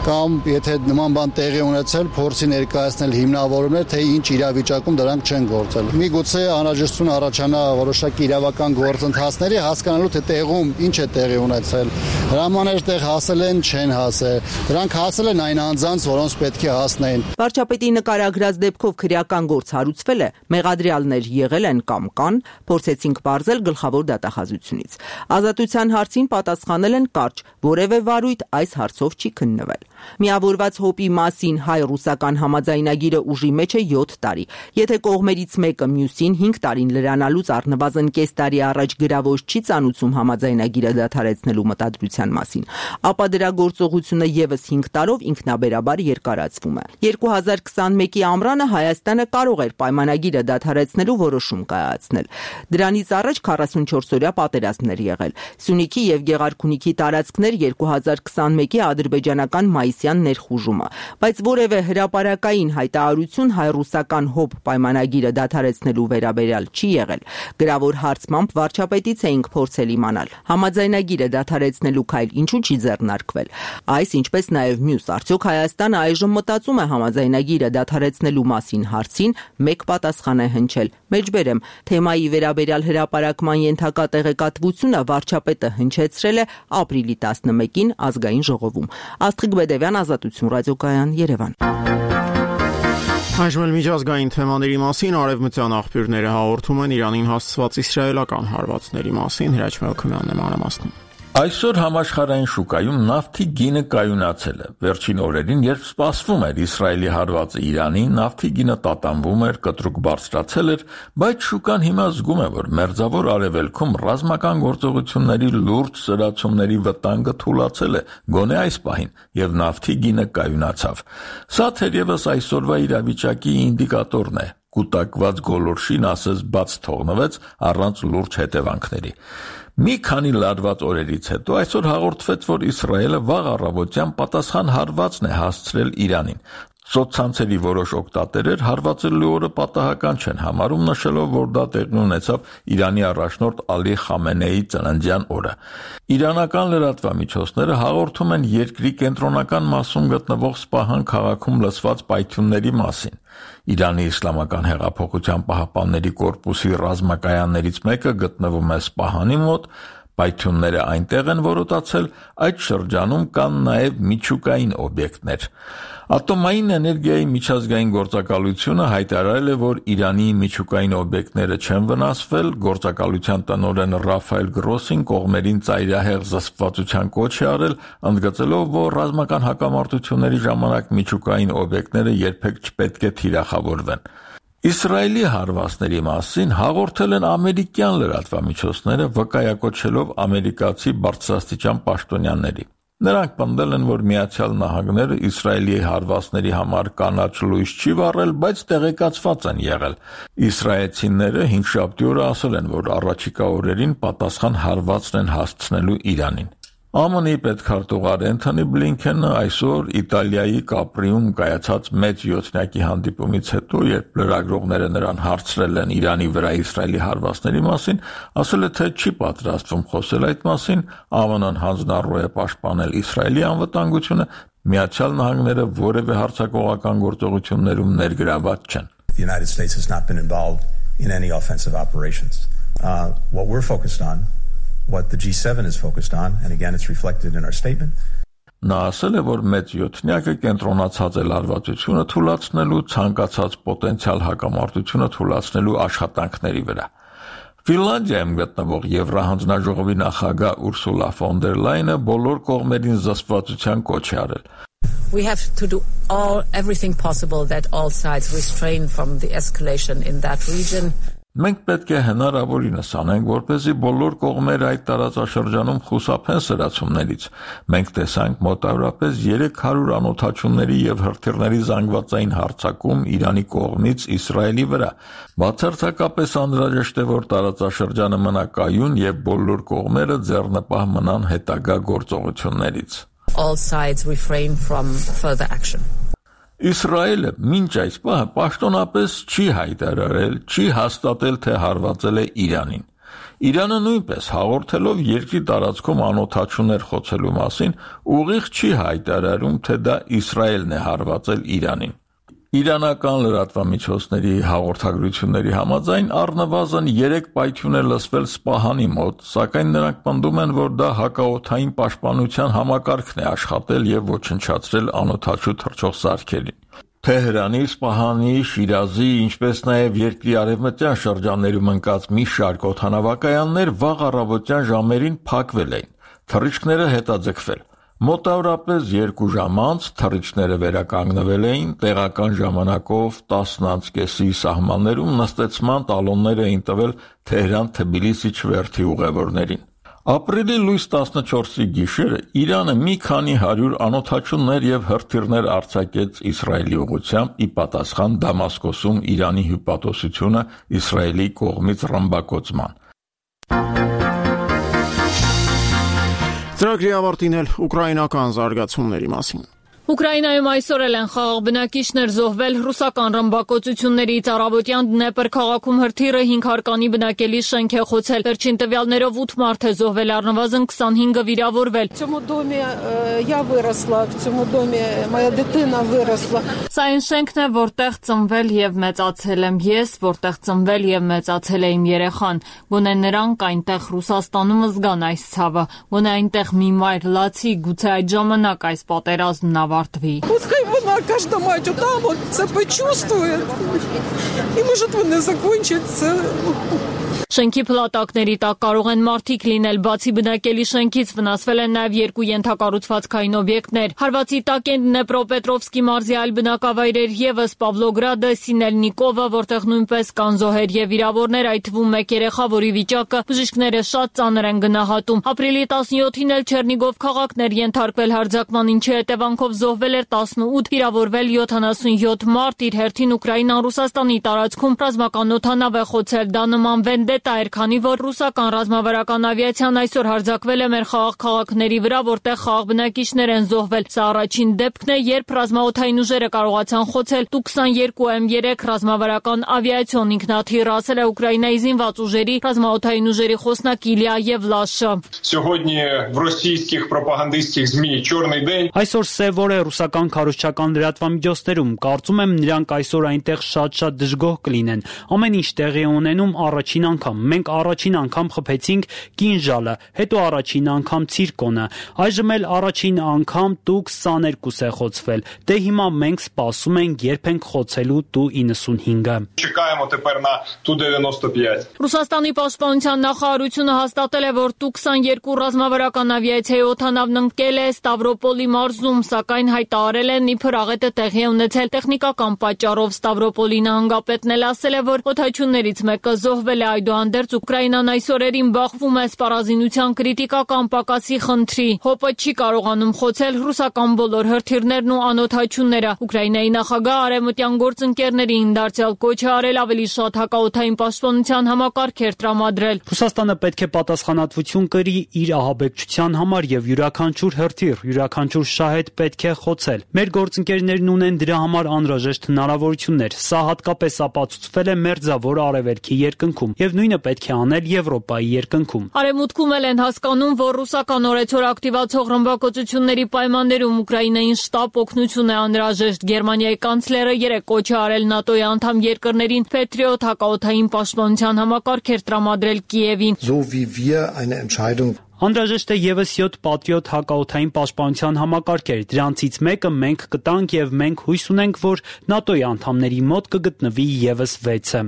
կամ եթե նման բան տեղի ունեցել, փորձի ներկայացնել հիմնավորումներ, թե ինչ իրավիճակում դրանք չեն գործել։ Միգուցե անհրաժեշտություն առաջանա որոշակի իրավական գործընթացների հասկանալու թե տեղում ինչ է տեղի ունեցել։ Հրամաններ տեղ հասել են, չեն հասել։ Դրանք հասել են այն անձանց, որոնց պետք է հասնեն։ Վարչապետի նկարագրած դեպքով քրեական գործ հարուցվել է, մեղադրյալներ եղել են կամ կան, փորձեցինք բարձել գլխավոր դատախազությունից։ Ազատության հարցին պատասխանել են կարճ, որևէ վարույթ այս հարցով չի քննվել։ Միավորված հոպի մասին հայ-ռուսական համաձայնագիրը ուժի մեջ է 7 տարի։ Եթե կողմերից մեկը մյուսին 5 տարին լրանալուց առնվազն կես տարի առաջ գրավոր չի ծանուցում համաձայնագիրը դադարեցնելու մտադրության մասին, ապա դրա գործողությունը եւս 5 տարով ինքնաբերաբար երկարացվում է։ 2021-ի ամռանը Հայաստանը կարող էր պայմանագիրը դադարեցնելու որոշում կայացնել։ Դրանից առաջ 44-օրյա պատերազմներ եղել։ Սյունիքի եւ Գեղարքունիքի տարածքներ 2021-ի ադրբեջանական մայիսյան ներխուժումը, բայց որևէ հրապարակային հայտարարություն հայ-ռուսական հոբ պայմանագիրը դադարեցնելու վերաբերյալ չի եղել։ Գրավոր հարցմամբ վարչապետից էինք փորձել իմանալ, համաձայնագիրը դադարեցնելու քայլ ինչու չի ձեռնարկվել։ Այս ինչպես նաև մյուս, արդյոք Հայաստանը այժմ մտածում է համաձայնագիրը դադարեցնելու մասին հարցին մեկ պատասխան է հնչել։ Մեջբերեմ, թեմայի վերաբերյալ հրապարակման ենթակա տեղեկատվությունը վարչապետը հնչեցրել է ապրիլի 11-ին ազգային ժողովում։ Աստղիկ Բեդևյան, Ազատություն ռադիոկայան, Երևան։ Այժմ միջազգային թեմաների մասին արևմտյան աղբյուրները հաղորդում են Իրանին հասցված իսրայելական հարվածների մասին։ Հրաչ Մելքումյանն է մանրամասնում։ Այսօր համաշխարհային շուկայում նավթի գինը կայունացել է։ Վերջին օրերին, երբ սպասվում էր Իսրայելի հարվածը Իրանին, նավթի գինը տատանվում էր, կտրուկ բարձրացել էր, բայց շուկան հիմա զգում է, որ մերձավոր արևելքում ռազմական գործողությունների լուրջ սրացումների վտանգը թուլացել է, գոնե այս պահին, եւ նավթի գինը կայունացավ։ Սա թերևս այսօրվա իրավիճակի ինդիկատորն է։ Կուտակված գոլորշին ասես բաց թողնվեց առանց լուրջ հետևանքների։ Մի քանի լարված օրերից հետո այսօր հաղորդվեց, որ Իսրայելը վաղ առավոտյան պատասխան հարվածն է հասցրել Իրանին։ Սոցցանցերի որոշ օգտատերեր հարվածելու օրը պատահական չեն համարում, նշելով, որ դա տեղի ունեցավ Իրանի առաջնորդ Ալի Խամենեիի ծննդյան օրը։ Իրանական լրատվամիջոցները հաղորդում են երկրի կենտրոնական մասում գտնվող Սպահան քաղաքում լսված պայթյունների մասին։ Իրանի Իսլամական հեղափոխության պահապանների կորպուսի ռազմակայաններից մեկը գտնվում է Սպահանի մոտ, պայթյունները այնտեղ են որոտացել, այդ շրջանում կան նաև միջուկային օբյեկտներ։ Ատոմային էներգիայի միջազգային գործակալությունը հայտարարել է, որ Իրանի միջուկային օբյեկտները չեն վնասվել, գործակալության տնօրեն Ռաֆայել Գրոսին կողմերին ծայրահեղ զսպվածության կոչ է արել, ընդգծելով, որ ռազմական հակամարտությունների ժամանակ միջուկային օբյեկտները երբեք չպետք է թիրախավորվեն։ Իսրայելի հարվածների մասին հաղորդել են ամերիկյան լրատվամիջոցները, վկայակոչելով ամերիկացի բարձրաստիճան պաշտոնյաների։ Նրանք պնդել են, որ Միացյալ Նահանգները Իսրայելի հարվածների համար կանաչ լույս չի վառել, բայց տեղեկացված են եղել։ Իսրայելցիները հինգշաբթի օրը ասել են, որ առաջիկա օրերին պատասխան հարվածն են հասցնելու Իրանին։ ԱՄՆ-ի պետքարտուղար Էնթոնի Բլինքենը այսօր Իտալիայի Կապրիում կայացած մեծ յոթնյակի հանդիպումից հետո, երբ լրագրողները նրան հարցրել են Իրանի վրա Իսրայելի հարվածների մասին, ասել է, թե չի պատրաստվում խոսել այդ մասին, ԱՄՆ-ն հանձնառու է պաշտպանել Իսրայելի անվտանգությունը, Միացյալ Նահանգները որևէ հարձակողական գործողություններում ներգրաված չեն։ The United States has not been involved in any offensive operations. What we're focused on, what the G7 is focused on, and again it's reflected in our statement. Նա ասել է, որ մեծ յոթնյակը կենտրոնացած է լարվածությունը թույլատնելու, ցանկացած պոտենցիալ հակամարտությունը թույլատնելու աշխատանքների վրա։ Ֆինլանդիայում գտնվող Եվրահանձնաժողովի նախագահ Ուրսուլա ֆոն դեր Լայնը բոլոր կողմերին զսպվածության կոչ է արել։ We have to do everything possible that all sides restrain from the escalation in that region. Մենք պետք է հնարավորինս անենք, որպեսզի բոլոր կողմերը այդ տարածաշրջանում խուսափեն սրացումներից։ Մենք տեսանք մոտավորապես 300 անօթաչուների եւ հրթիռների զանգվածային հարձակում Իրանի կողմից Իսրայելի վրա։ Բացարձակապես անհրաժեշտ է, որ տարածաշրջանը մնա կայուն եւ բոլոր կողմերը ձեռնպահ մնան հետագա գործողություններից։ All sides refrain from further action. Իսրայելը մինչ այս պահը պաշտոնապես չի հայտարարել, չի հաստատել, թե հարվածել է Իրանին։ Իրանը նույնպես հաղորդելով երկրի տարածքում անօթաչուներ խոցելու մասին ուղիղ չի հայտարարում, թե դա Իսրայելն է հարվածել Իրանին։ Իրանական լրատվամիջոցների հաղորդագրությունների համաձայն առնվազն 3 պայթյուն է լսվել Սպահանի մոտ, սակայն նրանք պնդում են, որ դա հակաօդային պաշտպանության համակարգն է աշխատել եւ ոչնչացրել անօթաչու թռչող սարքերին։ Թեհրանի, Սպահանի, Շիրազի, ինչպես նաեւ երկրի արևմտյան շրջաններում ընկած մի շարք օդանավակայաններ վաղ առավոտյան ժամերին փակվել էին, թռիչքները հետաձգվել։ Մոտավորապես 2 ժամ անց թռիչքները վերականգնվել էին, տեղական ժամանակով 10:30-ի սահմաններում նստեցման տալոններ էին տվել Թեհրան-Թբիլիսի չվերթի ուղևորներին։ Ապրիլի լույս 14-ի գիշերը Իրանը մի քանի 100 անօթաչուներ եւ հրթիռներ արձակեց Իսրայելի ուղղությամբ՝ ի պատասխան Դամասկոսում Իրանի հյուպատոսությունը Իսրայելի կողմից ռմբակոծման։ Ծրագրի ավարտին էլ ուկրաինական զարգացումների մասին։ Ուկրաինայում այսօր են խաղաղ բնակիչներ զոհվել ռուսական ռմբակոծություններից առավոտյան Դնեպր քաղաքում հրթիռը 5 հարկանի բնակելի շենք է խոցել։ Վերջին տվյալներով 8 մարդ է զոհվել, առնվազն 25-ը վիրավորվել։ Սա այն շենքն է, որտեղ ծնվել եւ մեծացել եմ ես, որտեղ ծնվել եւ մեծացել է իմ երեխան։ Գոնե նրանք այնտեղ Ռուսաստանում զգան այս ցավը, գոնե այնտեղ մի մայր լացի, գուցե այդ ժամանակ այս պատերազմն Пускай вона каждая мать там вот это почувствует. И может вона закончится. Շենքի փլատակների տակ կարող են մարդիկ լինել, բացի բնակելի շենքից վնասվել են նաև 2 ենթակառուցվածքային օբյեկտներ։ Հարվածի տակ են Դնեպրոպետրովսկի մարզի այլ բնակավայրեր եւս Պավլոգրադը, Սինելնիկովը, որտեղ նույնպես կան զոհեր եւ վիրավորներ, այդ թվում 1 երեխա, որի վիճակը բժիշկները շատ ծանր են գնահատում։ Ապրիլի 17-ին էլ Չերնիգով քաղաքն էր ենթարկվել հարձակման, ինչի հետևանքով զոհվել էր 18, վիրավորվել 77 մարդ։ Իր հերթին Ուկրաինան Ռուսաստանի տարածքում ռազմական օդանավ է խոցել, դա նման վենդետա էր, քանի որ ռուսական ռազմավարական ավիացիան այսօր հարձակվել է մեր խաղաղ քաղաքների վրա, որտեղ խաղաղ բնակիչներ են զոհվել։ Սա առաջին դեպքն է, երբ ռազմաօդային ուժերը կարողացան խոցել Tu-22M3 ռազմավարական ավիացիոն ինքնաթիռ, ասել է Ուկրաինայի զինված ուժերի ռազմաօդային ուժերի խոսնակ Իլիա Եվլաշը։ Այսօր սև օր է ռուսական քարոզչական լրատվամիջոցներում, կարծում եմ նրանք այսօր այնտեղ շատ դժգոհ կլինեն։ Ամեն ինչ տեղի է ունենում առաջին անգամ։ Մենք առաջին անգամ խփեցինք կինժալը, հետո առաջին անգամ ցիրկոնը, այժմ էլ առաջին անգամ Tu-22 է խոցվել։ Դե հիմա մենք սպասում ենք, երբ ենք խոցելու Tu-95-ը։ Ռուսաստանի պաշտպանության նախարարությունը հաստատել է, որ Tu-22 ռազմավարական ավիացիայի օդանավն ընկել է Ստավրոպոլի մարզում, սակայն հայտարարել են, իբր աղետը տեղի է ունեցել տեխնիկական պատճառով։ Ստավրոպոլի նահանգապետն էլ ասել է, որ օդաչուներից մեկը զոհվել է, այդուհանդերձ Ուկրաինան այս օրերին բախվում է սպառազինության կրիտիկական պակասի խնդրի։ ՀՕՊ-ը չի կարողանում խոցել ռուսական բոլոր հրթիռներն ու անօդաչուները։ Ուկրաինայի նախագահ արևմտյան գործընկերներին դարձյալ կոչ է արել ավելի շատ հակաօդային պաշտպանության համակարգեր տրամադրել։ Ռուսաստանը պետք է պատասխանատվություն կրի իր ահաբեկչության համար եւ յուրաքանչյուր հրթիռ, յուրաքանչյուր շահեդ պետք է խոցել։ Մեր գործընկերներն ունեն դրա համար անհրաժեշտ հնարավորություններ։ Սա հատկապես ապացուցվել է Մերձավոր Արևելքի երկնքում եւ նույնը պետք է անել Եվրոպայի երկնքում։ Արևմուտքում էլ են հասկանում, որ ռուսական օրեցօր ակտիվացող ռմբակոծությունների պայմաններում Ուկրաինային շտապ օգնություն է անհրաժեշտ։ Գերմանիայի կանցլերը երեկ կոչ է արել ՆԱՏՕ-ի անդամ երկրներին Patriot հակաօդային պաշտպանության համակարգեր տրամադրել Կիևին։ Անհրաժեշտ է եւս 7 Patriot հակաօդային պաշտպանության համակարգեր։ Դրանցից մեկը մենք կտանք եւ մենք հույս ունենք, որ ՆԱՏՕ-ի անդամների մոտ կգտնվի եւս 6-ը։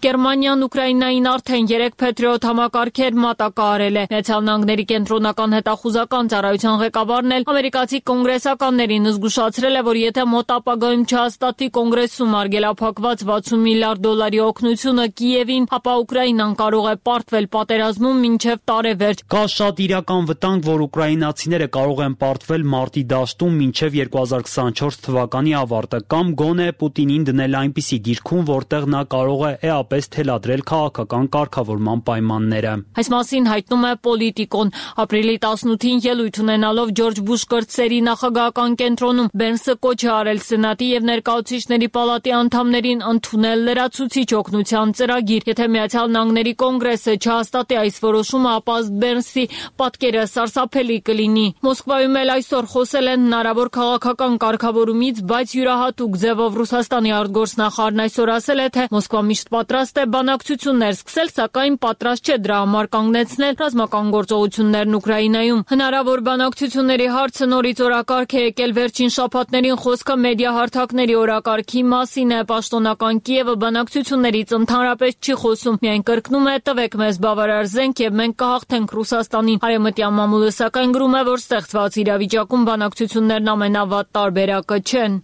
Գերմանիան Ուկրաինային արդեն 3 Patriot համակարգեր մատակարարել է։ Միացյալ Նահանգների կենտրոնական հետախուզական ծառայության ղեկավարն էլ ամերիկացի կոնգրեսականներին զգուշացրել է, որ եթե մոտ ապագայում չհաստատի կոնգրեսում արգելափակված $60 միլիարդ օգնությունը Կիևին, ապա Ուկրաինան կարող է պարտվել պատերազմում մինչև տարեվերջ։ Կա շատ իրական վտանգ, որ ուկրաինացիները կարող են պարտվել մարտի դաշտում մինչև 2024 թվականի ավարտը կամ գոնե Պուտինին դնել այնպիսի դիրքում, որտեղ նա կարող է էապես թելադրել քաղաքական կարգավորման պայմանները։ Այս մասին հայտնում է Պոլիտիկոն։ Ապրիլի 18-ին ելույթ ունենալով Ջորջ Բուշ կրտսերի նախագահական կենտրոնում Բենսը կոչ է արել Սենատի եւ Ներկայացուցիչների պալատի անդամներին ընդունել լրացուցիչ օգնության ծրագիր։ Եթե Միացյալ Նահանգների կոնգրեսը չհաստատի այս որոշումը, ապա Բենսի պատկերը սարսափելի կլինի։ Մոսկվայում էլ այսօր խոսել են հնարավոր քաղաքական կարգավորումից, բայց յուրահատուկ ձևով Ռուսաստանի արտգործնախարարն այսօր ասել է, թե Մոսկվա միշտ պատրաստ է բանակցություններ սկսել, սակայն պատրաստ չէ դրա համար կանգնեցնել ռազմական գործողություններն Ուկրաինայում։ Հնարավոր բանակցությունների հարցը նորից օրակարգ է եկել վերջին շաբաթներին խոսքը մեդիա հարթակների օրակարգի մասին է։ Պաշտոնական Կիևը բանակցություններից ընդհանրապես չի խոսում, միայն կրկնում է տվեք մեզ բավարար զենք եւ մենք կհաղթենք Ռուսաստանին։ Արևմտյան մամուլը սակայն գրում է, որ ստեղծված իրավիճակում բանակցություններն ամենավատ տարբերակը չեն։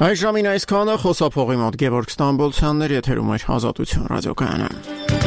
Այս ժամին այսքանը խոսափողի մոտ Գևորգ Ստամբոլցյաններ եթերում էր Ազատություն ռադիոկայանը։